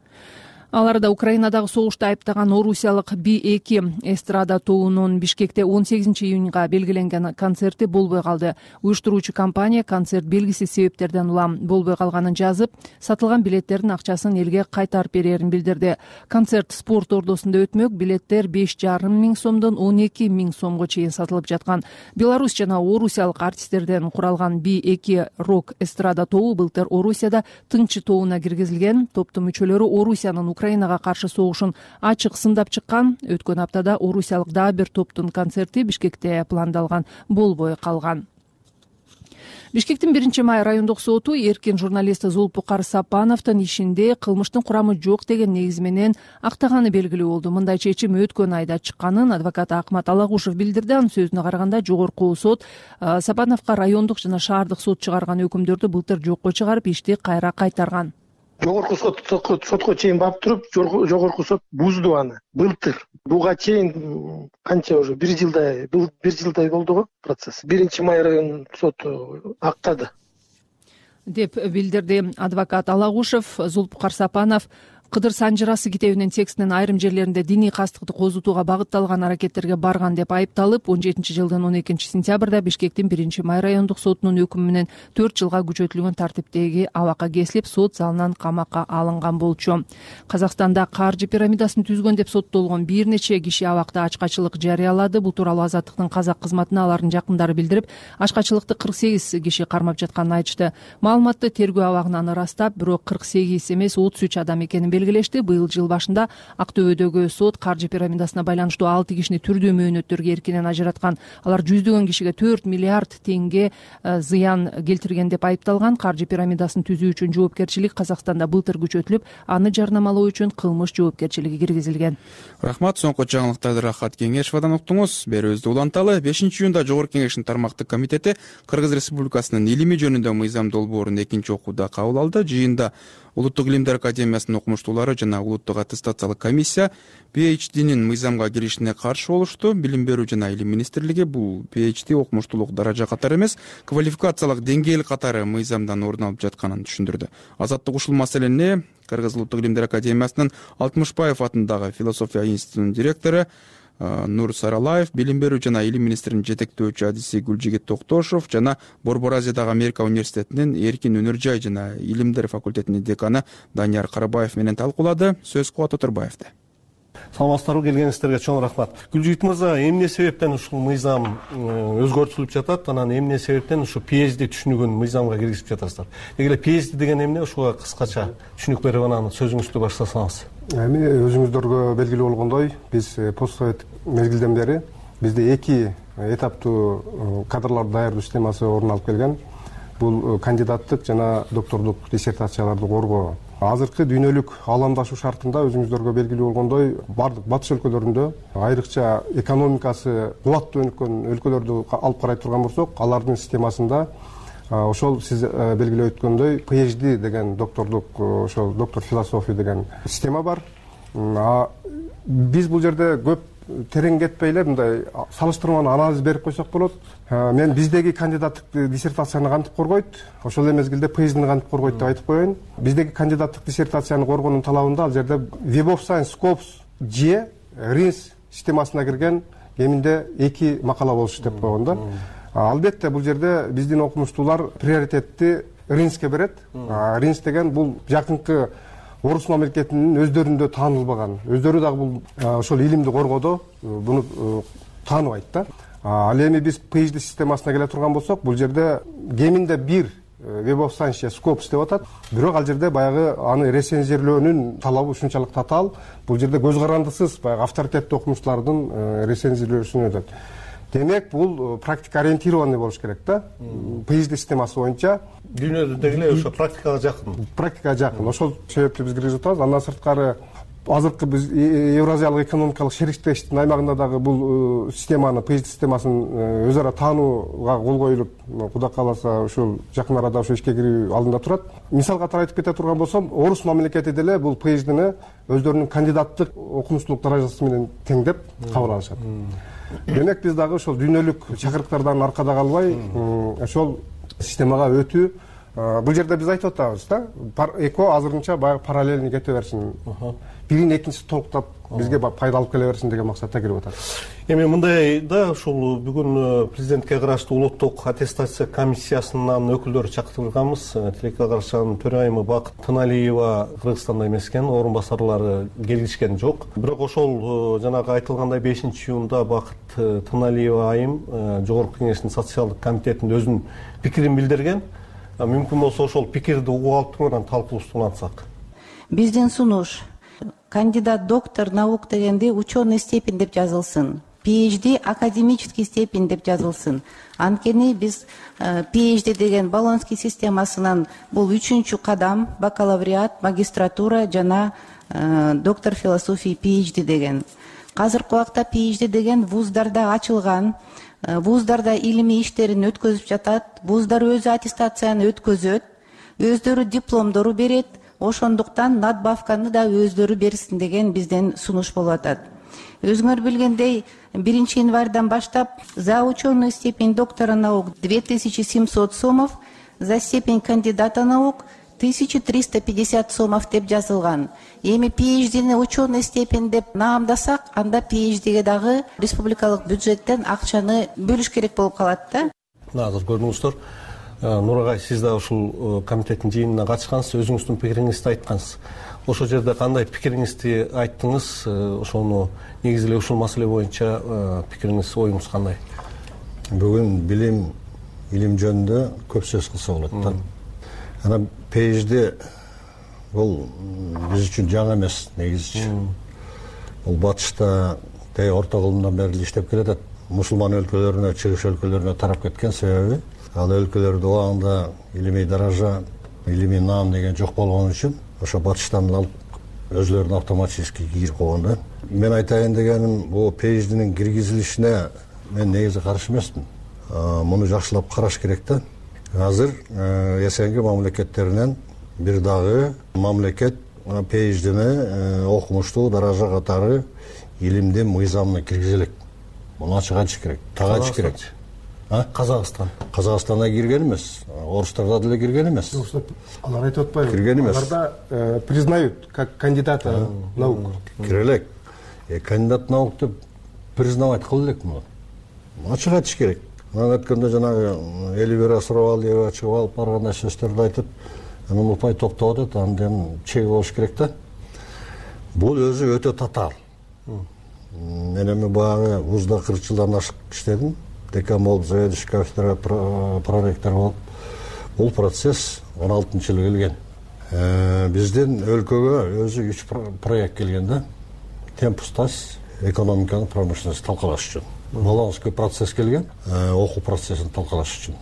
Аларда Украинадагы согушту айыптаган орусиялык B2 эстрада тобунун Бишкекте 18-июнга белгиленген концерти болбой калды. Уюштуруучу компания концерт белгисиз себептерден улам болбой калганын жазып, сатылган билеттердин акчасын элге кайтарып берерин билдирди. Концерт спорт ордосунда өтмөк, билеттер 5,5 миң сомдон 12 миң сомго чейин сатылып жаткан. Беларусь жана орусиялык артисттерден куралган B2 рок эстрада тобу былтыр Орусияда Тыңчы тобуна киргизилген. Топтун мүчөлөрү Орусиянын Украинага каршы согушун ачык сындап чыккан. Өткөн аптада орусиялык дагы бир топтун концерти Бишкекте пландалган болбой калган. Бишкектин 1-май райондук соту эркин журналист Зулпукар Сапановдун ишинде кылмыштын курамы жок деген негиз менен актаганы белгилүү болду. Мындай чечим өткөн айда чыкканын адвокат Акмат Алагушев билдирди. Анын сөзүнө караганда, жогорку сот Сапановго райондук жана шаардык сот чыгарган өкүмдөрдү былтыр жокко чыгарып, ишти кайра кайтарган. Жогорку сотко чейин барып туруп, жогорку сот бузду аны былтыр. Буга чейин канча уже 1 жылдай болду го процесс. 1-май район соту актады деп билдирди адвокат Алагушев. Зулпукар Сапанов Кыдыр Санжырасы китебинин текстинин айрым жерлеринде диний кастыкты козутууга багытталган аракеттерге барган деп айыпталып, 17-жылдын 12-сентябрда Бишкектин 1-май райондук сотунун өкүмү менен 4 жылга күчөтүлгөн тартиптеги абакка кесилип, сот залынан камакка алынган болчу. Казакстанда каржы пирамидасын түзгөн деп соттолгон бир нече киши абакта ачкачылык жарыялады. Бул тууралуу Азаттыктын казак кызматына алардын жакындары билдирип, ачкачылыкты 48 киши кармап жатканын айтышты. Маалыматты тергөө абагынан ырастап, бирок 48 эмес 33 адам экенин белгилешти. Быйыл жыл башында Актөбөдөгү сот каржы пирамидасына байланыштуу 6 кишини түрдүү мөөнөттөргө эркинен ажыраткан. Алар жүздөгөн кишиге 4 миллиард теңге зыян келтирген деп айыпталган. Каржы пирамидасын түзүү үчүн жоопкерчилик Казакстанда былтыр күчөтүлүп, аны жарнамалоо үчүн кылмыш жоопкерчилиги киргизилген. Рахмат. Соңку жаңылыктарды Рахат Кеңешовдон уктуңуз. Берүүбүздү уланталы. 5-июнда Жогорку Кеңештин тармактык комитети Кыргыз Республикасынын илими жөнүндө мыйзам долбоорун 2-окууда кабыл алды. Жыйында Улуттук илимдер академиясынын окумуштуулары жана улуттук аттестациялык комиссия PhD'нин мыйзамга киришине каршы болушту. Билим берүү жана илим министрлиги бул PhD окумуштуулук даража катары эмес, квалификациялык деңгээл катары мыйзамдан орун алып жатканын түшүндүрдү. Азаттык ушул маселени Кыргыз улуттук илимдер академиясынын Алтымышбаев атындагы философия институтунун директору Нур Саралаев, билим берүү жана илим министринин жетектөөчү адиси Гүлжигит Токтошов жана Борбор Азиядагы Америка университетинин эркин өнөр жай жана илимдер факультетинин деканы Данияр Карабаев менен талкуулады. Сөз Кубат Отурбаевде. Саламатсыздарбы, келгениңиздерге чоң рахмат. Гүлжигит мырза, эмне себептен ушул мыйзам өзгөртүлүп жатат, анан эмне себептен ушу PhD түшүнүгүн мыйзамга киргизип жатасыздар? Эгер PhD деген эмне, ушуга кыскача түшүнүк берип анан сөзүңүздү баштасаңыз. Эми өзүңүздөргө белгилүү болгондой, биз постсовет мезгилден бери бизде 2 этаптуу кадрларды даярдоо системасы орун алып келген. Бул кандидаттык жана доктордук диссертацияларды коргоо. Азыркы дүйнөлүк ааламдашуу шартында өзүңүздөргө белгилүү болгондой, бардык батыш өлкөлөрүндө, айрыкча экономикасы кубаттуу өнүккөн өлкөлөрдү алып карай турган болсок, алардын системасында ошол сиз белгилеп өткөндөй PhD деген доктордук, ошол доктор философия деген система бар. Биз бул жерде көп терең кетпей эле мындай салыштырмалуу анализ берип койсок болот. Мен биздеги кандидаттык диссертацияны кантип коргойт, ошол эле мезгилде PhD'ни кантип коргойт деп айтып коеюн. Биздеги кандидаттык диссертацияны коргоонун талабында ал жерде Web of Science Scopus же RINS системасына кирген кеминде 2 макала болушу деп койгон да. Албетте бул жерде биздин окумуштуулар приоритетти RINSке берет. RINS деген бул жакынкы орус мамлекетинин өздөрүндө таанылбаган, өздөрү дагы бул ошол илимди коргоодо буну тааныбайт да. Ал эми биз PhD системасына келе турган болсок, бул жерде кеминде 1 Web of Science Scopus деп атат. Бирок ал жерде баягы аны рецензиялоонун талабы ушунчалык татаал. Бул жерде көз карандысыз баягы авторитеттүү окумуштуулардын рецензиялоосун өтөт. Демек, бул практика ориентированный болуш керек да. PhD системасы боюнча дүйнөдөгү ошо практикага жакын. Практикага жакын. Ошол себептен биз киргизип атабыз. Андан сырткары азыркы биз Евразиялык экономикалык шериктештиктин аймагында дагы бул системаны, PhD системасын өз ара таанууга кол коюлуп, Кудай кааласа ушул жакын арада ошо ишке кирүү алдында турат. Мисал катары айтып кете турган болсом, орус мамлекети деле бул PhDни өздөрүнүн кандидаттык окумуштуулук даражасы менен теңдеп кабыл алышат. Демек, биз дагы ошол дүйнөлүк чакырыктардан аркада калбай, ошол системага өтүү. Бул жерде биз айтып атабыз да, эко азырынча баягы параллельный кете берсин. бирин экинчиси толуктап бизге пайда алып келе берсин деген максатта кирип атат. Эми мындай да ушул бүгүн президентке караштуу улуттук аттестация комиссиясынын өкүлдөрү чакыртылганбыз. Тилекке карашанын төрайымы Бакыт Тыналиева Кыргызстанда эмес экен, орун басарлары келишкен жок. Бирок ошол жанагы айтылгандай 5-июнда Бакыт Тыналиева айым Жогорку Кеңештин социалдык комитетинде өзүнүн пикирин билдирген. Мүмкүн болсо ошол пикирди угуп алып туруп талкуубузду улантсак. Биздин сунуш кандидат доктор наук дегенде ученый степень деп жазылсын. PhD академический степень деп жазылсын. Анткени биз PhD деген Болонский системасынан бул 3-чү кадам, бакалавриат, магистратура жана доктор философии PhD деген. Азыркы убакта PhD деген вуздарда ачылган, вуздарда илимий иштерин өткөзүп жатат, вуздар өзү аттестацияны өткөзөт, өздөрү дипломдору берет, ошондуктан надбавканы да өздөрү берсин деген бизден сунуш болуп атат. Өзүңөр билгендей, 1-январдан баштап за ученую степень доктора наук 2700 сомов, за степень кандидата наук 1350 сомов деп жазылган. Эми PhD-ни ученый степень деп наамдасак, анда PhD-ге дагы республикалык бюджеттен акчаны бөлүш керек болуп калат да. Азыр көрдүңүздөр. Нурагай, сиз да ушул комитеттин жыйынына катышкансыз, өзүңүздүн пикириңизди айткансыз. Ошол жерде кандай пикириңизди айттыңыз? Ошону негизи эле ушул маселе боюнча пикириңиз, оюңуз кандай? Бүгүн илим жөнүндө көп сөз кылса болот да. Анан PhD бул биз үчүн жаңы эмес негизичи. Бул батышта орто кылымдан бери иштеп келатат. Мусулман өлкөлөрүнө, чыгыш өлкөлөрүнө тарап кеткен себеби ал өлкөлөрдө убагында илимий даража, илимий наам деген жок болгон үчүн ошо батыштан алып өзлөрүнө автоматически кирип койгон да. Мен айтайын дегеним, бул PhD-нин киргизилишине мен негизи каршы эмесмин. Муну жакшылап караш керек да. Азыр СНГ мамлекеттеринен бир дагы мамлекет PhD-ни окумуштуу даража катары илимдин мыйзамына киргизе элек. Муну ачык айтыш керек, так айтыш керек. Казакстанда кирген эмес, орустарда деле кирген эмес. Алар айтып атпайбы? Кирген эмес. Аларда признают как кандидата наук. Кире элек. Кандидат наук деп признавать кыл элек муну. Ачык айтыш керек. Анан өткөндө жанагы Эльвира Сұрабалиева чыгып алып баргандай сөздөрдү айтып, анан упай топтоп атат, андан чеги болуш керек да. Бул өзү өтө татаал. Мен эми баягы вузда 40 жылдан ашык иштедим. Декан болуп, заведующий кафедра проректор болуп. Бул процесс 16-жылы келген. Биздин өлкөгө өзү 3 проект келген да. Темпустас экономиканы, промышленность талкалаш үчүн. Болонский процесс келген, окуу процессин талкалаш үчүн.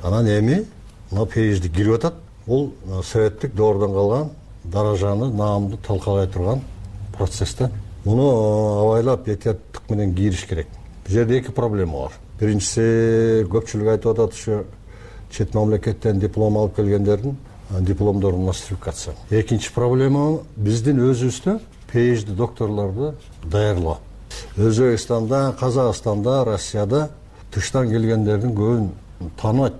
Анан эми мына PhD кирип атат. Бул советтик доордон калган даражаны, наамды талкалай турган процесстен. Муну абайлап, этияттык менен кириш керек. Бул жерде 2 проблема бар. Биринчиси, көпчүлүк айтып атат, ушу чет мамлекеттен диплом алып келгендердин дипломдорун нострификация. Экинчи проблема биздин өзүбүздө PhD докторлорду даярлоо. Өзбекстанда, Казакстанда, Россияда тыштан келгендердин көбүн тааныбайт.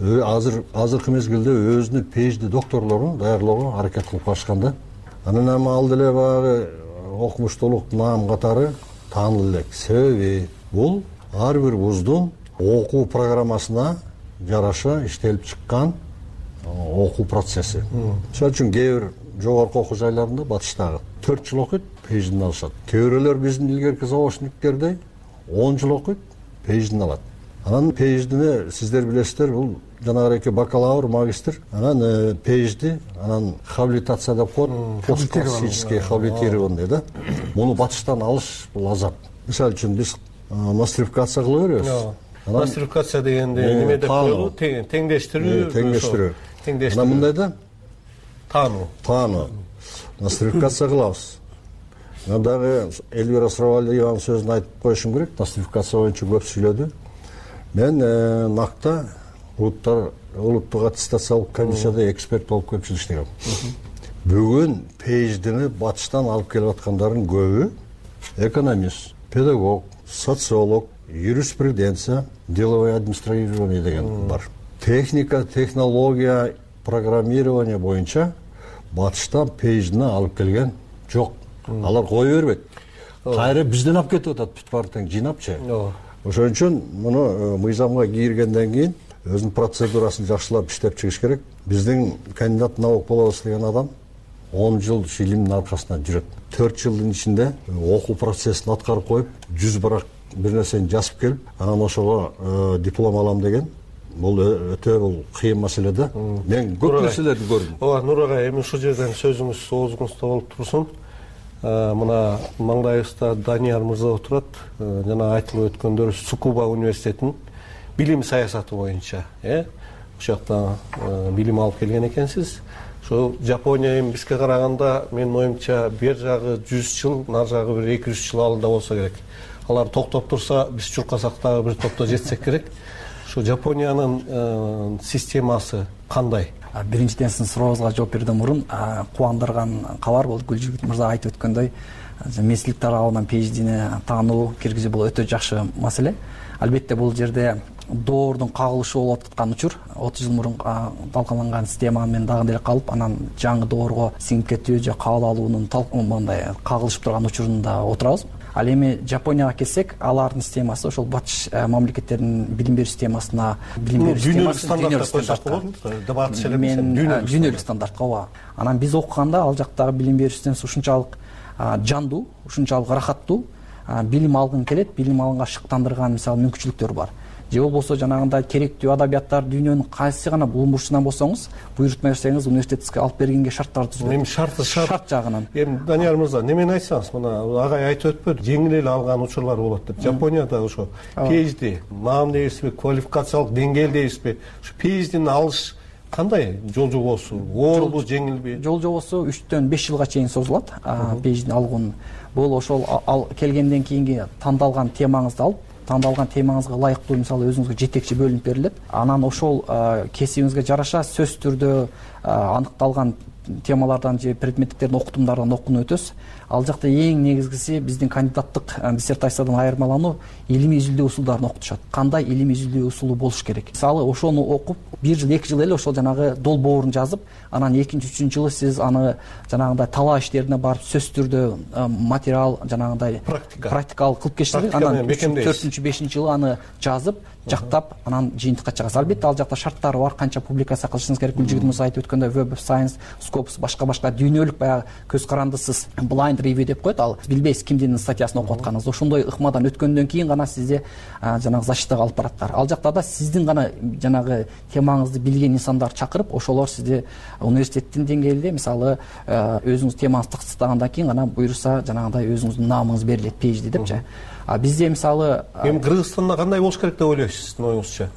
Азыркы мезгилде өзүнүн PhD докторлорун даярлоого аракет кылып башканда. Анан эми ал деле баягы окумуштуулук наам катары таанылып элек. Себеби бул ар бир вуздун окуу программасына жараша иштелип чыккан окуу процесси. Мисалы үчүн кээ бир жогорку окуу жайларында батыштагы 4 жыл окуйт, PhD-ни алышат. Кээ бирөөлөр биздин илгерки заочниктердей 10 жыл окуйт, PhD-ни алат. Анан PhD-ни сиздер билесиздер, бул жанагы бакалавр, магистр, анан PhD, анан хабилитация деп коет, постклассический хабилитированный да. Муну батыштан алыш бул азап. Мисалы үчүн биз нострификация кыла беребиз. Нострификация дегенде неме деп коелу? Теңдештирүү. Анан мындай да таануу. Нострификация кылабыз. Анан дагы Эльвира Сұрабалиеванын сөзүн айтып коюшум керек. Нострификация боюнча көп сүйлөдү. Мен накта улуттук аттестациялык комиссияда эксперт болуп көпчүлүк иштегем. Бүгүн PhD-ни батыштан алып келип аткандардын көбү экономист, педагог, социолог, юриспруденция, деловое администрирование деген бар. Техника, технология, программирование боюнча батыштан PhD-ни алып келген жок. алар кое бербейт, кайра бизден алып кетип атат бүт баары тең жыйнапчы. Ошон үчүн муну мыйзамга киргенден кийин өзүнүн процедурасын жакшылап иштеп чыгыш керек. Биздин кандидат наук болобуз деген адам 10 жыл илимдин аркасынан жүрөт. 4 жылдын ичинде окуу процессин аткарып коюп, 100 барак бир нерсени жазып келип, анан ошого диплом алам деген бул өтө бул кыйын маселе да. Мен көп нерселерди көрдүм. Ооба, Нур ага, эми ушул жерден сөзүңүз оозуңузда болуп турсун. Мына маңдайыбызда Данияр мырза отурат. Жана айтылып өткөндөр Цукуба университетинин билим саясаты боюнча, ошол жакта билим алып келген экенсиз. Ошо Жапония эми бизге караганда менин оюмча бер жагы 100 жыл, нар жагы бир 200 жыл алда болсо керек. Алар токтоп турса, биз чуркасак дагы бир топто жетсек керек. Ошо Жапониянын системасы кандай? Биринчиден сиздин сурооңузга жооп берүүдөн мурун кубандырган кабар бул Гүлжигит мырза айтып өткөндөй, месилик тарабынан PhD'ни таануу киргизүү бул өтө жакшы маселе. Албетте бул жерде доордун кагылышы болуп аткан учур 30 жыл мурун талкаланган система менен дагы деле калып, анан жаңы доорго сиңип кетүү же кабыл алуунун мындай кагылышып турган учурунда отурабыз. Ал эми Жапонияга келсек, алардын системасы ошол батыш мамлекеттердин билим берүү системасына, дүйнөлүк стандартка, дүйнөлүк стандартка ооба. Анан биз окуганда ал жактагы билим берүү системасы ушунчалык жандуу, ушунчалык рахаттуу, билим алгың келет, билим алганга шыктандырган мисалы мүмкүнчүлүктөр бар. Же болбосо жанагындай керектүү адабияттар дүйнөнүн кайсы гана булуң бурчунан болсоңуз, буйрутма берсеңиз университетке алып бергенге шарттар түзүлөт. Эми шарт жагынан. Эми Данияр мырза, немени айтсаңыз, мына агай айтып өтпөдү, жеңил эле алган учурлар болот деп. Жапонияда ошо PhD, наам дейбизби, квалификациялык деңгээл дейбизби? Ушу PhD'ни алыш кандай жол жобосу? Оорбу, жеңилби? Жол жобосу 3-төн 5 жылга чейин созулат. PhD'ни алган бул ошол келгенден кийинки тандалган темаңызды алып, тандалган темаңызга ылайыктуу мисалы өзүңүзгө жетекчи бөлүнүп берилет. Анан ошол кесибиңизге жараша сөзсүз түрдө аныкталган темалардан же предметтердин окутумдардан окууну өтөсүз. Ал жакта эң негизгиси биздин кандидаттык диссертациядан айырмалануу илимий изилдөө усулдарын окутушат. Кандай илимий изилдөө усулу болуш керек? Мисалы ошону окуп 1 жыл 2 жыл эле ошол жанагы долбоорун жазып, анан 2-3 жылы сиз аны жанагындай талаа иштерине барып сөзсүз түрдө материал жанагындай практикалык кылып кечирип, анан 4-5 жылы аны жазып, жактап, анан жыйынтыкка чыгасыз. Албетте ал жакта шарттары бар, канча публикация кылышыңыз керек. Гүлжигит мырза айтып өткөндөй Web of Science, Scopus, башка дүйнөлүк баягы көз карандысыз blind review деп коет. Ал билбейсиз кимдин статьясын окуп атканыңызды. Ошондой ыкмадан өткөндөн кийин гана сизде жанагы защитага алып бараттар. Ал жакта да сиздин гана жанагы темаңызды билген инсандар чакырып, ошолор сизди университеттин деңгээлинде мисалы өзүңүз темаңызды тактагандан кийин гана буйруса жанагындай өзүңүздүн наамыңыз берилет PhD депчи. Бизде мисалы эми Кыргызстанда кандай болуш керек деп ойлойсуз, сиздин оюңузча?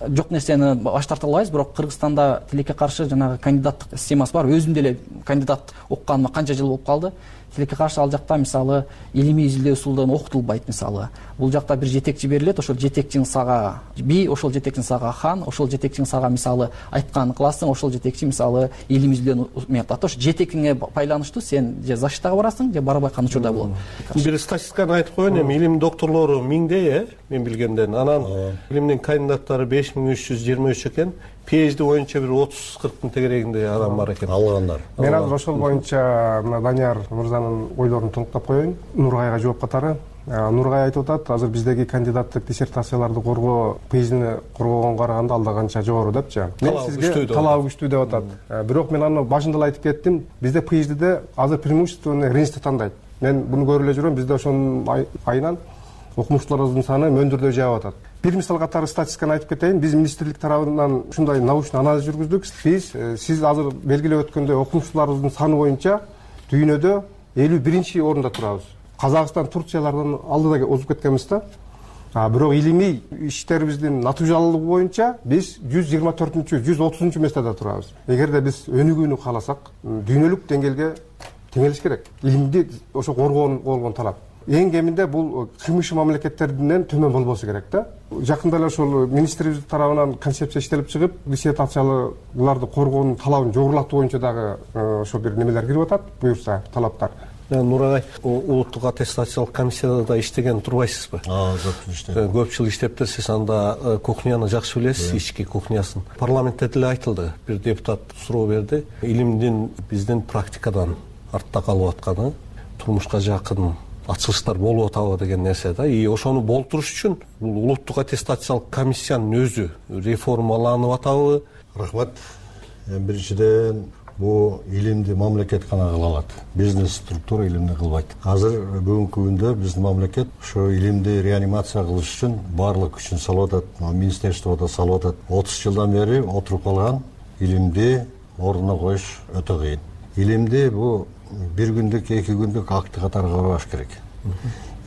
Жок нерсени баш тарта албайбыз, бирок Кыргызстанда тилекке каршы жанагы кандидаттык системасы бар. Өзүм деле кандидат окуганыма канча жыл болуп калды. Тилекке каршы ал жакта мисалы илимий изилдөө усулдан окутулбайт мисалы. Бул жакта бир жетекчи берилет, ошол жетекчиң сага би, ошол жетекчиң сага хан, ошол жетекчиң сага мисалы айтканын кыласың, ошол жетекчи мисалы илимий изилдөөнү метод. Ошо жетекиңе байланыштуу сен же защитага барасың, же барбай калган учурда болот. Бир статистиканы айтып коеюн, эми илим докторлору 1000дей, мен билгенден. Анан илимдин кандидаттары 5323 экен. PhD боюнча бир 30-40 тегерегинде адам бар экен алгандар. Мен азыр ошол боюнча мына Данияр мырзанын ойлорун толуктап коеюн. Нургайга жооп катары. Нургай айтып атат, азыр биздеги кандидаттык диссертацияларды коргоо PhD'ни коргогонго караганда алда канча жогору депчи. Мен сизге талабы күчтүү деп атат. Бирок мен аны башында эле айтып кеттим. Бизде PhD'де азыр преимущественно ренжди тандайт. Мен буну көрүп эле жүрөм. Бизде ошонун айынан окумуштууларыбыздын саны мөндүрдөй жаап атат. Бир мисал катары статистиканы айтып кетейин. Биз министрлик тарабынан ушундай научный анализ жүргүздүк. Сиз азыр белгилеп өткөндөй окумуштууларыбыздын саны боюнча дүйнөдө 51-чи орунда турабыз. Казакстан, Турциялардан алдыда озуп кеткенбиз да. Бирок илимий иштерибиздин натыйжалуулугу боюнча биз 124-чү, 130-чу местеде турабыз. Эгерде биз өнүгүүнү кааласак, дүйнөлүк деңгээлге теңелиш керек. Илимди ошо коргоон талап. Эң кеминде бул кыймыш мамлекеттерден төмөн болбосу керек да. Жакында эле ошол министрибиз тарабынан концепция иштелип чыгып, диссертацияларды коргоонун талабын жогорулатуу боюнча дагы ошо бир немелер кирип атат, буюрса талаптар. Нурагай, улуттук аттестациялык комиссияда да иштеген турбайсызбы? Көп жыл иштептирсиз, анда кухняны жакшы билесиз, ички кухнясын. Парламентте деле айтылды, бир депутат суроо берди. Илимдин биздин практикадан артта калып атканы, турмушка жакын ачылыштар болуп атабы деген нерсе да. И ошону болтуруш үчүн бул улуттук аттестациялык комиссиянын өзү реформаланып атабы? Рахмат. Биринчиден бул илимди мамлекет гана кыла алат. Бизнес структура илимди кылбайт. Азыр бүгүнкү күндө биздин мамлекет ошо илимди реанимация кылыш үчүн баардык күчүн салып атат. Министерство да салып атат. 30 жылдан бери отуруп калган илимди ордуна коюш өтө кыйын. Илимди бул бир күндүк, 2 күндүк акты катары карабаш керек.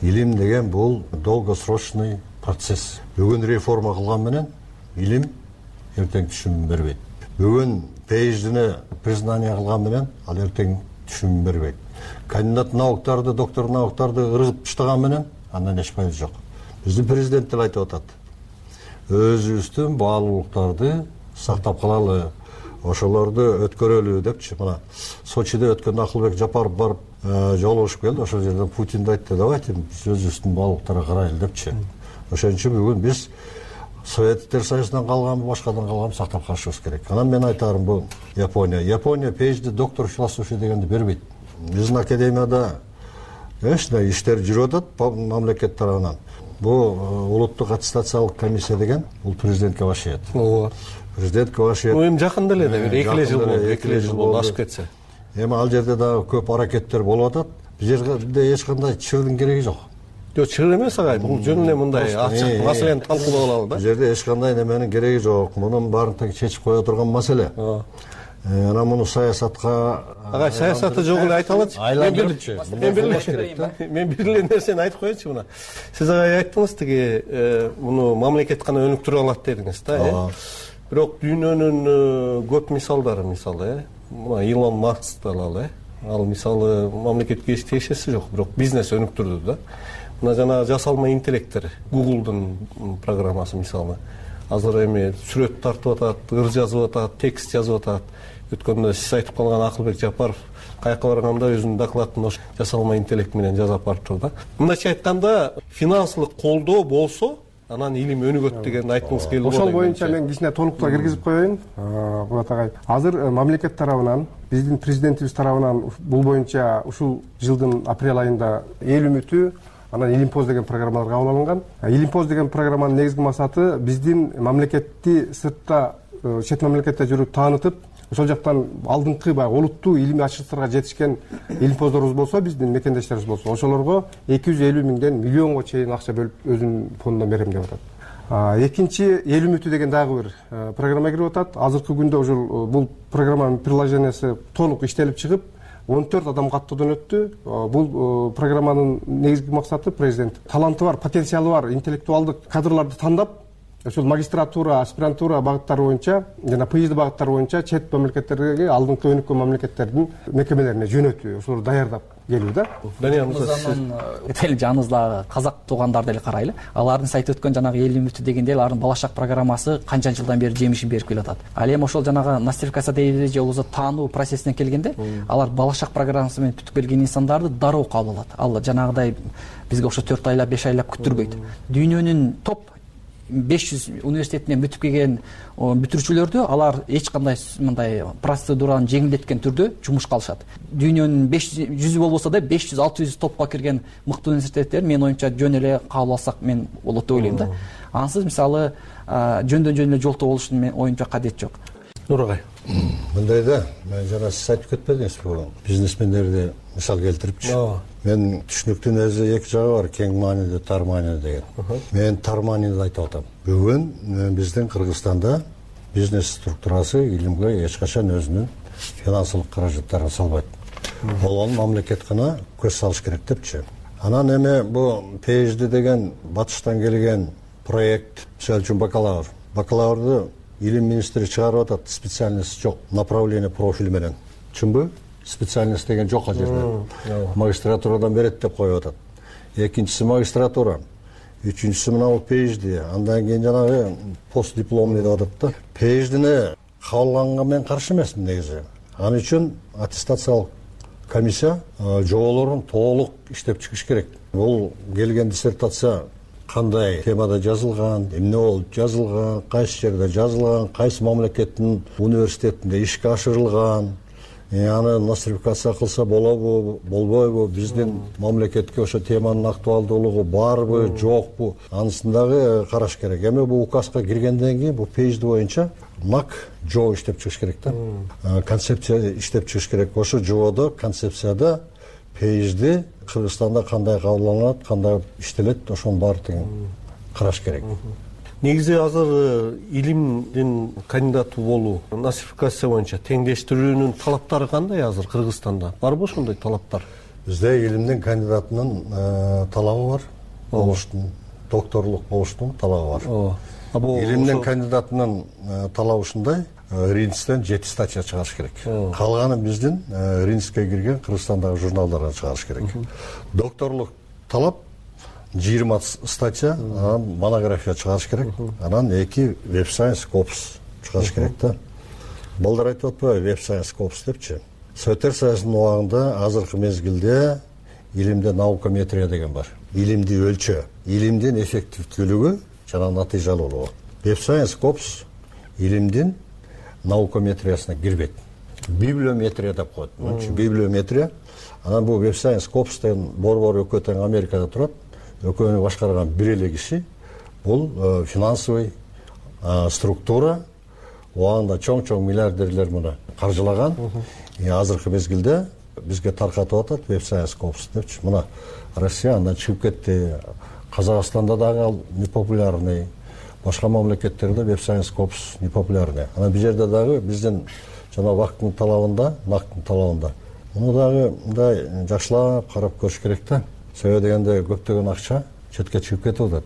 Илим деген бул долгосрочный процесс. Бүгүн реформа кылган менен илим эртең түшүм бербейт. Бүгүн PhD'ни признание кылган менен ал эртең түшүм бербейт. Кандидат науктарды, доктор науктарды ыргытып таштаган менен андан эч пайда жок. Биздин президент деле айтып атат. Өзүбүздүн баалуулуктарды сактап калалы, ошолорду өткөрөлү депчи. Мына Сочиде өткөндө Акылбек Жапаров барып жолугушуп келди. Ошол жерде Путин да айтты, давайте биз өзүбүздүн баалуулуктарга карайлы депчи. Ошон үчүн бүгүн биз Советтер Союзунан калганбы, башкадан калганбы сактап калышыбыз керек. Анан мен айтарым бул Япония. Япония PhD доктор философия дегенди бербейт. Биздин академияда ушундай иштер жүрүп атат мамлекет тарабынан. Бул улуттук аттестациялык комиссия деген бул президентке башыйт. Ооба. Президентке башыйт. Эми жакында эле бир 2 жыл болду, ашып кетсе. Эми ал жерде дагы көп аракеттер болуп атат. Бул жерде эч кандай чыгуудун кереги жок. Жок, чыгыр эмес агай. Бул жөн эле мындай ачык маселени талкуулап алалы да. Бул жерде эч кандай неменин кереги жок. Мунун баарын тең чечип кое турган маселе. Анан муну саясатка агай саясаты жок эле айта алатчы. Мен бир эле нерсени айтып коеюнчу мына. Сиз агай айттыңыз тиги муну мамлекет гана өнүктүрө алат дедиңиз да, Бирок дүйнөнүн көп мисалдары мисалы, мына Илон Маскты алалы, Ал мисалы мамлекетке эч тиешеси жок, бирок бизнес өнүктүрдү да. Мына жана жасалма интеллекттер, Google'дун программасы мисалы. Азыр эми сүрөт тартып атат, ыр жазып атат, текст жазып атат. Өткөндө сиз айтып калган Акылбек Жапаров каяка барганда өзүнүн докладын ош жасалма интеллект менен жазып барыптыр да. Мындайча айтканда, финансылык колдоо болсо, анан илим өнүгөт дегенди айткыңыз келди. Ошол боюнча мен кичине толуктоо киргизип коеюн. Мурат агай, азыр мамлекет тарабынан, биздин президентибиз тарабынан бул боюнча ушул жылдын апрель айында эл үмүтү, анан Илимпоз деген программалар кабыл алынган. Илимпоз деген программанын негизги максаты биздин мамлекетти сыртта, чет мамлекетте жүрүп таанытып, ошол жактан алдыңкы баягы олуттуу илимий ачыштарга жетишкен илимпоздорубуз болсо, биздин мекендештерибиз болсо, ошолорго 250 миңден миллионго чейин акча бөлүп өзүнүн фондунан берем деп атат. Экинчи эл үмүтү деген дагы бир программа кирип атат. Азыркы күндө ушул бул программанын приложениясы толук иштелип чыгып, 14 адам каттоодон өттү. Бул программанын негизги максаты президент таланты бар, потенциалы бар интеллектуалдык кадрларды тандап, ошол магистратура, аспирантура багыттары боюнча жана PhD багыттары боюнча чет мамлекеттерге, алдыңкы өнүккөн мамлекеттердин мекемелерине жөнөтүү, ошолорду даярдап келүү да. Дания мырза, дел жаныбыздагы казак туугандарды эле карайлы. Алардын сайты өткөн жанагы эл үмүтү дегенде алардын балачак программасы канча жылдан бери жемишин берип келатат. Ал эми ошол жанагы нострификация дейбиз же болбосо таануу процессине келгенде, алар балачак программасы менен бүтүп келген инсандарды дароо кабыл алат. Ал жанагыдай бизге окшо 4 айлап, 5 айлап күттүрбөйт. Дүйнөнүн топ 500 университетинен бүтүп келген бүтүрүүчүлөрдү алар эч кандай мындай процедураны жеңилдеткен түрдө жумушка алышат. Дүйнөнүн 500 болбосо да 500-600 топко кирген мыкты университеттер мен оюмча жөн эле кабыл алсак мен болот деп ойлойм да. Ансыз мисалы жөндөн жөн эле жолтоо болушунун мен оюмча кадет жок. Нурагай, мындай да, мен жана сиз айтып кетпедиңиз бул бизнесмендерди мисал келтирипчи. Мен түшүнүктүн өзү эки жагы бар, кең маанилүү, тар маанилүү деген. Мен тар маанилүү айтып атам. Бүгүн биздин Кыргызстанда бизнес структурасы илимге эч качан өзүнүн финансылык каражаттарын салбайт. Ол мамлекет гана көз салыш керек депчи. Анан эми бул PhD деген батыштан келген проект, мисалы үчүн бакалаврды илим министри чыгарып атат, специальность жок, направление профиль менен. Чынбы? Специальность деген жок ал жерде. Магистратурадан берет деп коюп атат. Экинчиси магистратура, үчүнчүсү мына PhD, андан кийин жанагы постдипломный деп атат да. PhD-ни кабылганга мен каршы эмесмин негизи. Ал үчүн аттестациялык комиссия жоболорун толук иштеп чыгыш керек. Бул келген диссертация кандай темада жазылган, эмне болуп жазылган, кайсы жерде жазылган, кайсы мамлекеттин университетинде ишке ашырылган, аны нострификация кылса болобу болбойбу, биздин мамлекетке ошо теманын актуалдуулугу барбы жокпу, анысын дагы караш керек. Эми бул указга киргенден кийин бул PhD боюнча НАК жоо иштеп чыгыш керек да. Концепция иштеп чыгыш керек. Ошо жоодо, концепцияда PhD Кыргызстанда кандай кабылданат, кандай иштелет, ошонун баардыгын караш керек. Негизи азыр илимдин кандидаты болуу, нострификация боюнча теңдештирүүнүн талаптары кандай азыр Кыргызстанда? Барбы ошондой талаптар? Бизде илимдин кандидатынын талабы бар. Болуштун, докторлук болуштун талабы бар. Илимдин кандидатынын талабы ушундай: Ринстен 7 статья чыгарыш керек. Калганы биздин Ринске кирген Кыргызстандагы журналдардан чыгарыш керек. Докторлук талап 20 статья, анан монография чыгарыш керек. Анан 2 Web Science Corps чыгарыш керек да. Балдар айтып атпайбы Web Science Corps депчи. Советтер Союзунун убагында азыркы мезгилде илимде наукометрия деген бар. Илимди өлчөө, илимдин эффективдүүлүгү жана натыйжалуулугу. Web Science Corps илимдин наукометриясына кирбейт. Библиометрия деп коет. Библиометрия. Анан бул Web Science Corps деген борбор өкө тең Америкада турат. Өкөнү башкарган бир эле киши. Бул финансовый структура. Оанда чоң миллиардерлер муну каржылаган. Азыркы мезгилде бизге таркатып атат Web Science Corps депчи. Мына Россия андан чыгып кетти. Казакстанда дагы ал непопулярный. Башка мамлекеттерде Web Science Corps непопулярный. Анан бул жерде дагы биздин жана вакыттын талабында, нактын талабында. Муну дагы мындай жакшылап карап көрүш керек да. Себеби дегенде көптөгөн акча четке чыгып кетип атат.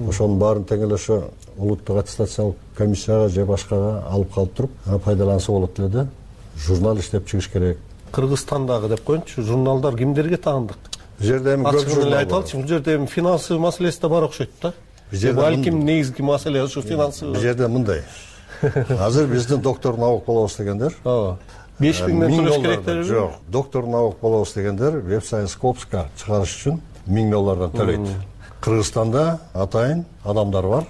Ошонун баарын тең эле ошо улуттук аттестациялык комиссияга же башкага алып калып туруп, пайдаланса болот эле да. Журнал иштеп чыгыш керек. Кыргызстандагы деп коеюнчу, журналдар кимдерге таандык? Бул жерде эми көп журнал бар. Айталычы, бул жерде эми финансовый маселеси да бар окшойт да. Балким негизги маселе ушу финансовый. Бул жерде мындай. Азыр биздин доктор наук болобуз дегендер. 5000 төлөш керектер. Жок, доктор наук болобуз дегендер Web Science Corps'ка чыгарыш үчүн 1000 доллардан төлөйт. Кыргызстанда атайын адамдар бар.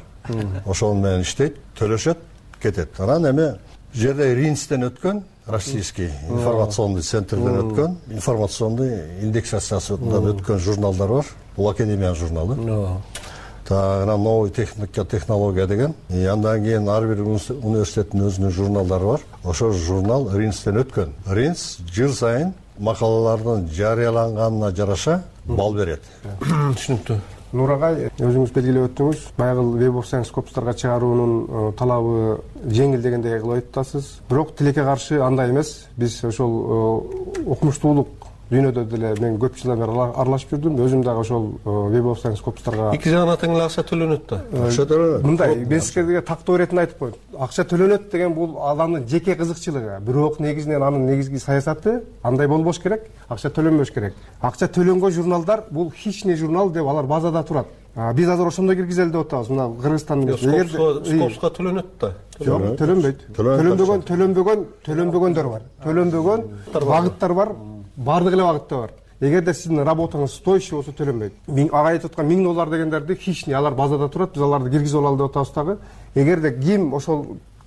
Ошонун менен иштейт, төлөшөт, кетет. Анан эми жерде Ринстен өткөн российский информационный центрден өткөн, информационный индексациясынан өткөн журналдар бар. Бул академиянын журналы. Анан новый техника, технология деген. Андан кийин ар бир университеттин өзүнүн журналдары бар. Ошо журнал Ринстен өткөн. Ринс жыл сайын макалалардын жарыяланганына жараша балл берет. Түшүнүктүү. Нур агай, өзүңүз белгилеп өттүңүз, баягы Web Science Corps'тарга чыгаруунун талабы жеңил дегендей кылып айтасыз. Бирок тилекке каршы андай эмес. Биз ошол окумуштуулук дүйнөдө деле мен көп жылдан бери аралашып жүрдүм. Өзүм дагы ошол Web Science Corps'тарга эки жагына тең эле акча төлөнөт да. Акча төлөнөт. Мындай, мен сизге тактоо иретин айтып коеюн. Акча төлөнөт деген бул адамдын жеке кызыкчылыгы. Бирок негизинен анын негизги саясаты андай болбош керек, акча төлөнбөш керек. Акча төлөнгөн журналдар бул хищный журнал деп алар базада турат. Биз азыр ошондой киргизели деп атабыз. Мына Кыргызстандын Скопска төлөнөт да. Жок, төлөнбөйт. Төлөнбөгөндөр бар. Төлөнбөгөн багыттар бар. Бардык эле багытта бар. Эгерде сиздин работаңыз стоящий болсо төлөнбөйт. Ага айтып аткан 1000 доллар дегендерди хищный, алар базада турат, биз аларды киргизип алалы деп атабыз дагы. Эгерде ким ошол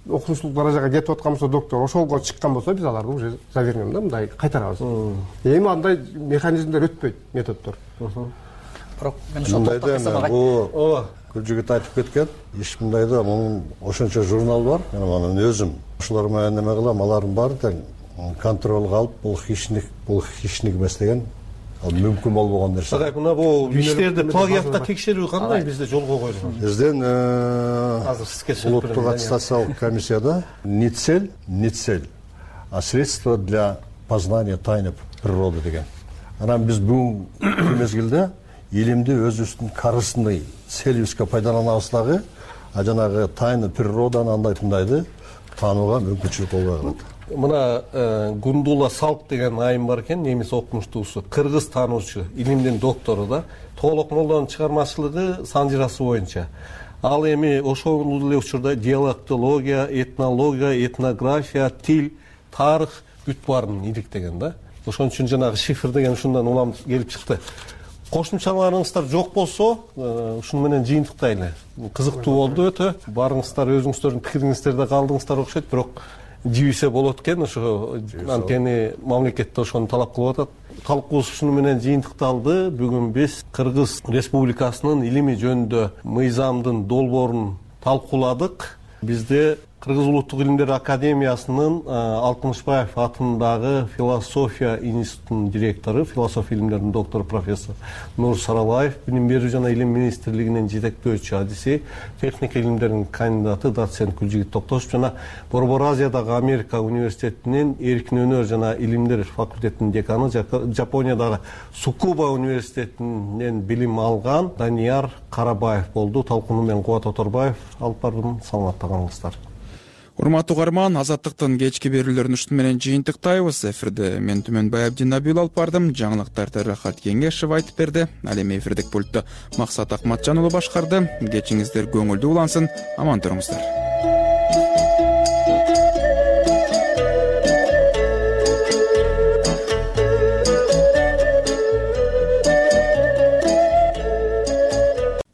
окумуштуулук даражага кетип аткан болсо, доктор ошолго чыккан болсо, биз аларды уже завернем да, мындай кайтарабыз. Эми андай механизмдер өтпөйт, методдор. Бирок мен ошол токтоп бул Күлжүгүт айтып кеткен, эч мындай да, мунун ошончо журнал бар. Мен анын өзүм ошолор менен неме кылам, алардын баары тең контролго алып, бул хищник эмес деген ал мүмкүн болбогон нерсе. Агай, мына бул иштерди плагиатка текшерүү кандай бизде жолго коюлган? Бизден улуттук аттестациялык комиссияда не цель, а средство для познания тайны природы деген. Анан биз бүгүнкү мезгилде илимди өзүбүздүн карысындай целибизге пайдаланабыз дагы, а жанагы тайны природаны андай мындайды таанууга мүмкүнчүлүк болбой калат. Мына Гундула Салк деген айым бар экен, немис окумуштуусу, кыргыз таануучу, илимдин доктору да. Толокмолдон чыгармачылыгы санжырасы боюнча. Ал эми ошол эле учурда диалектология, этнология, этнография, тил, тарых бүт баарын иликтеген да. Ошон үчүн жанагы шифр деген ушундан улам келип чыкты. Кошумчаларыңыздар жок болсо, ушуну менен жыйынтыктайлы. Кызыктуу болду өтө. Барыңыздар өзүңүздөрдүн пикириңиздерде калдыңыздар окшойт, бирок жибисе болот экен. Ошо анткени мамлекет ошону талап кылып атат. Калкыбыз ушуну менен жыйынтыкталды. Бүгүн биз Кыргыз Республикасынын илими жөнүндө мыйзамдын долбоорун талкууладык. Бизде Кыргыз Улуттук илимдер академиясынын Алтымышбаев атындагы философия институтунун директору, философия илимдеринин доктору профессор Нур Саралаев, билим берүү жана илим министрлигинин жетектөөчү адиси, техника илимдеринин кандидаты доцент Гүлжигит Токтошев жана Борбор Азиядагы Америка университетинин эркин өнөр жана илимдер факультетинин деканы, Жапониядагы Цукуба университетинен билим алган Данияр Карабаев болду. Талкууну мен Кубат Оторбаев алып бардым. Саламатта калыңыздар. Урматтуу угарман, Азаттыктын кечки берүүлөрүн ушун менен жыйынтыктайбыз. Эфирде мен Түмөнбай Абдинабил алып бардым. Жаңылыктарды Рахат Кеңешев айтып берди. Ал эми эфирдик пультту Максат Акматжан уулу башкарды. Кечиңиздер көңүлдүү улансын. Аман туруңуздар.